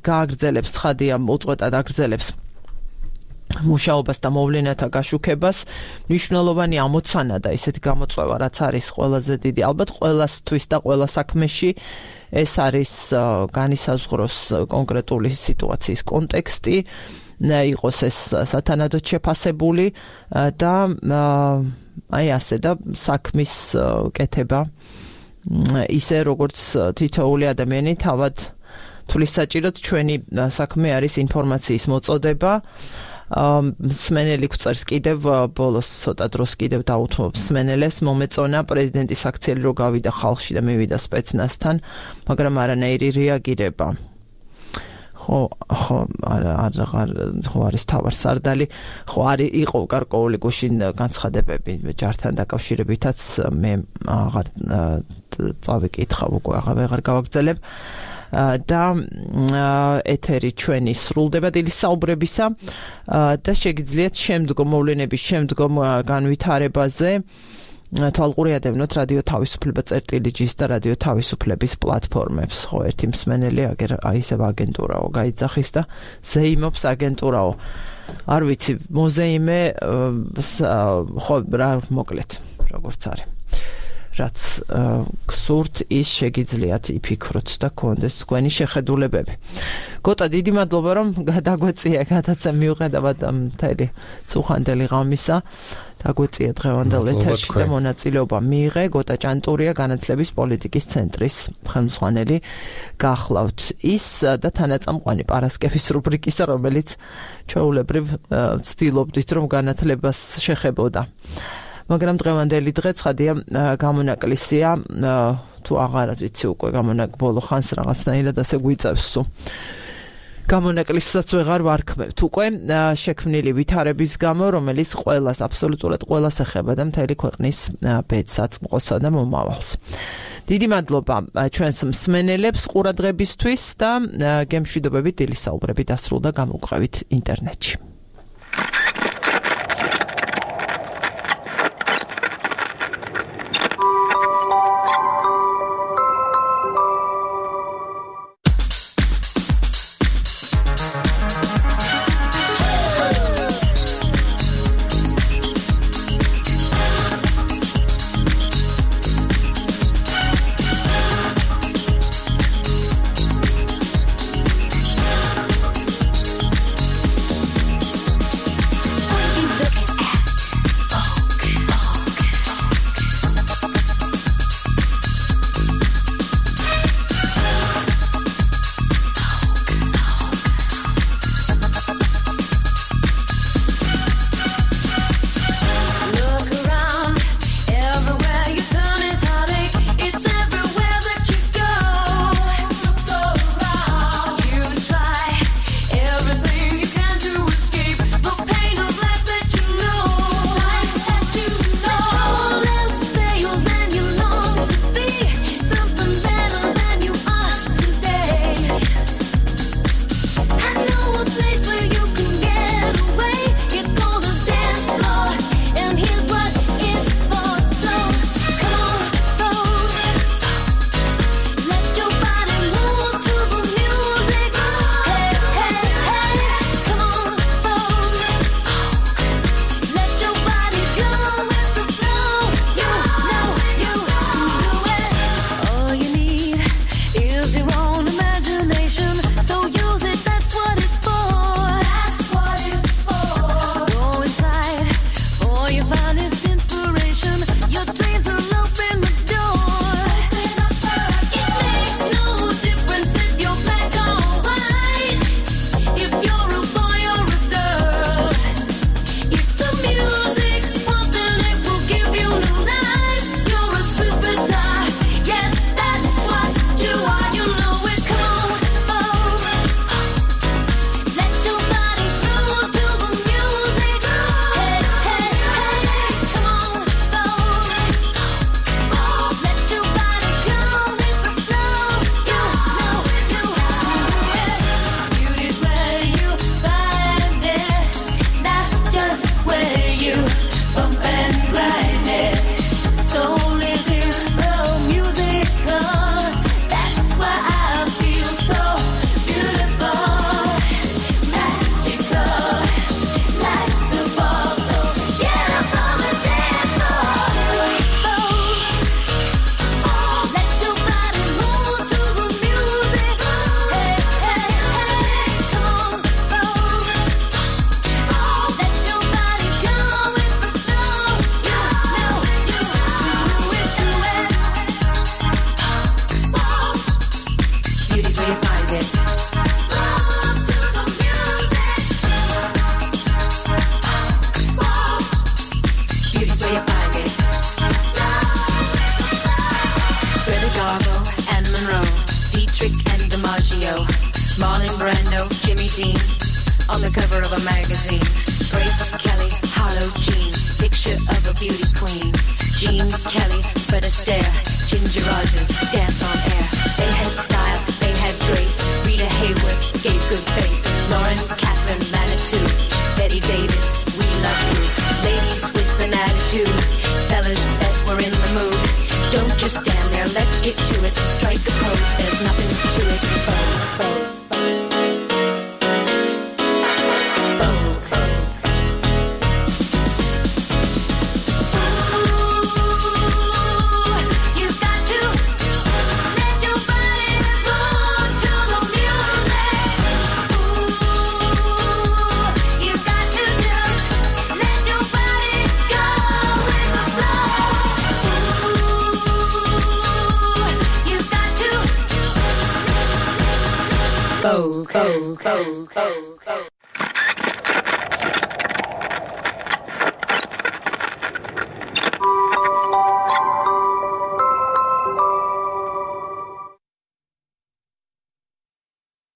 გააგრძელებს ცხადია უწყვეტად აგრძელებს მუშაობას და მოვლენათა გაშუქებას მნიშვნელოვანი ამოცანა და ისეთი გამოწვევა რაც არის ყველაზე დიდი ალბათ ყველასთვის და ყველა საქმეში ეს არის განისაზღვროს კონკრეტული სიტუაციის კონტექსტი იყოს ეს სათანადოდ შეფასებული და აი ასე და საქმის კეთება ისე როგორც თითოეული ადამიანი თავად თulis საჭიროდ ჩვენი საქმე არის ინფორმაციის მოწოდება მსმენელი გვწერს კიდევ ბოლოს ცოტა დროს კიდევ დაუთმობ მსმენელებს მომეწონა პრეზიდენტის აქციელი რო გავიდა ხალხში და მივიდა სპეცნაზთან, მაგრამ არანაირი რეაგირება. ხო არის თავარსარდალი, ხო არის იყო გარკვეული გუშინ განცხადებები ჯართან დაკავშირებითაც მე აღარ წავიკითხავ უკვე აღარ გავაგრძელებ და ეთერი ჩვენი სრულდება დილის საუბრებისა და შეგიძლიათ შემდგომ მოვლენების შემდგომ განვითარებაზე თვალყური ადევნოთ რადიო თავისუფლება წერტილიჯის და რადიო თავისუფლების პლატფორმებს. ხო, ერთი მსმენელი ისევ აგენტურაო გაიძახის და ზეიმობს აგენტურაო. არ ვიცი, მოზეიმე ხო რა მოკლედ, როგორც არის. რაც გსურთ ის შეგიძლიათ იფიქროთ და გქონდეს თქვენი შეხედულებები. გოტა, დიდი მადლობა რომ დაგვეწია გადაცემა მიუხედავად მთელი წუხანდელი ღამისა. დაგვეწია დღევანდელ ეთერში და მონაწილეობა მიიღე. გოტა ჭანტურია, განათლების პოლიტიკის ცენტრის ხელმძღვანელი გახლავთ ის და თანაწამყვანი პარასკევის რუბრიკისა, რომელიც ჩვეულებრივ ვცდილობდით რომ განათლებას შეხებოდა. მაგრამ დღევანდელი დღე ცხადია გამონაკლისია, თუ აღარ ვიცი უკვე ბოლო ხანს რაღაცნაირად ასე გვიწევს. გამონაკლისსაც ვეღარ ვარქმევთ უკვე შექმნილი ვითარების გამო, რომელიც ყველას, აბსოლუტურად ყველას ეხება და მთელი ქვეყნის ბედსაწყოსა და მომავალს. დიდი მადლობა ჩვენს მსმენელებს ყურადღებისთვის და გემშვიდობებით დილის საუბრები დასრულდა, გამოვყევით ინტერნეტში. Marlon Brando, Jimmy Dean, on the cover of a magazine. Grace Kelly, Harlow Jean, picture of a beauty queen. Jean Kelly, Fred Astaire, Ginger Rogers, dance on air. They had style, they had grace. Rita Hayworth gave good face. Lauren Catherine Manitou, Betty Davis, we love you. Ladies with an attitude, fellas that were in the mood. Don't just stand there, let's get to it. Strike a pose, there's nothing to it. Go, go, go, go, go.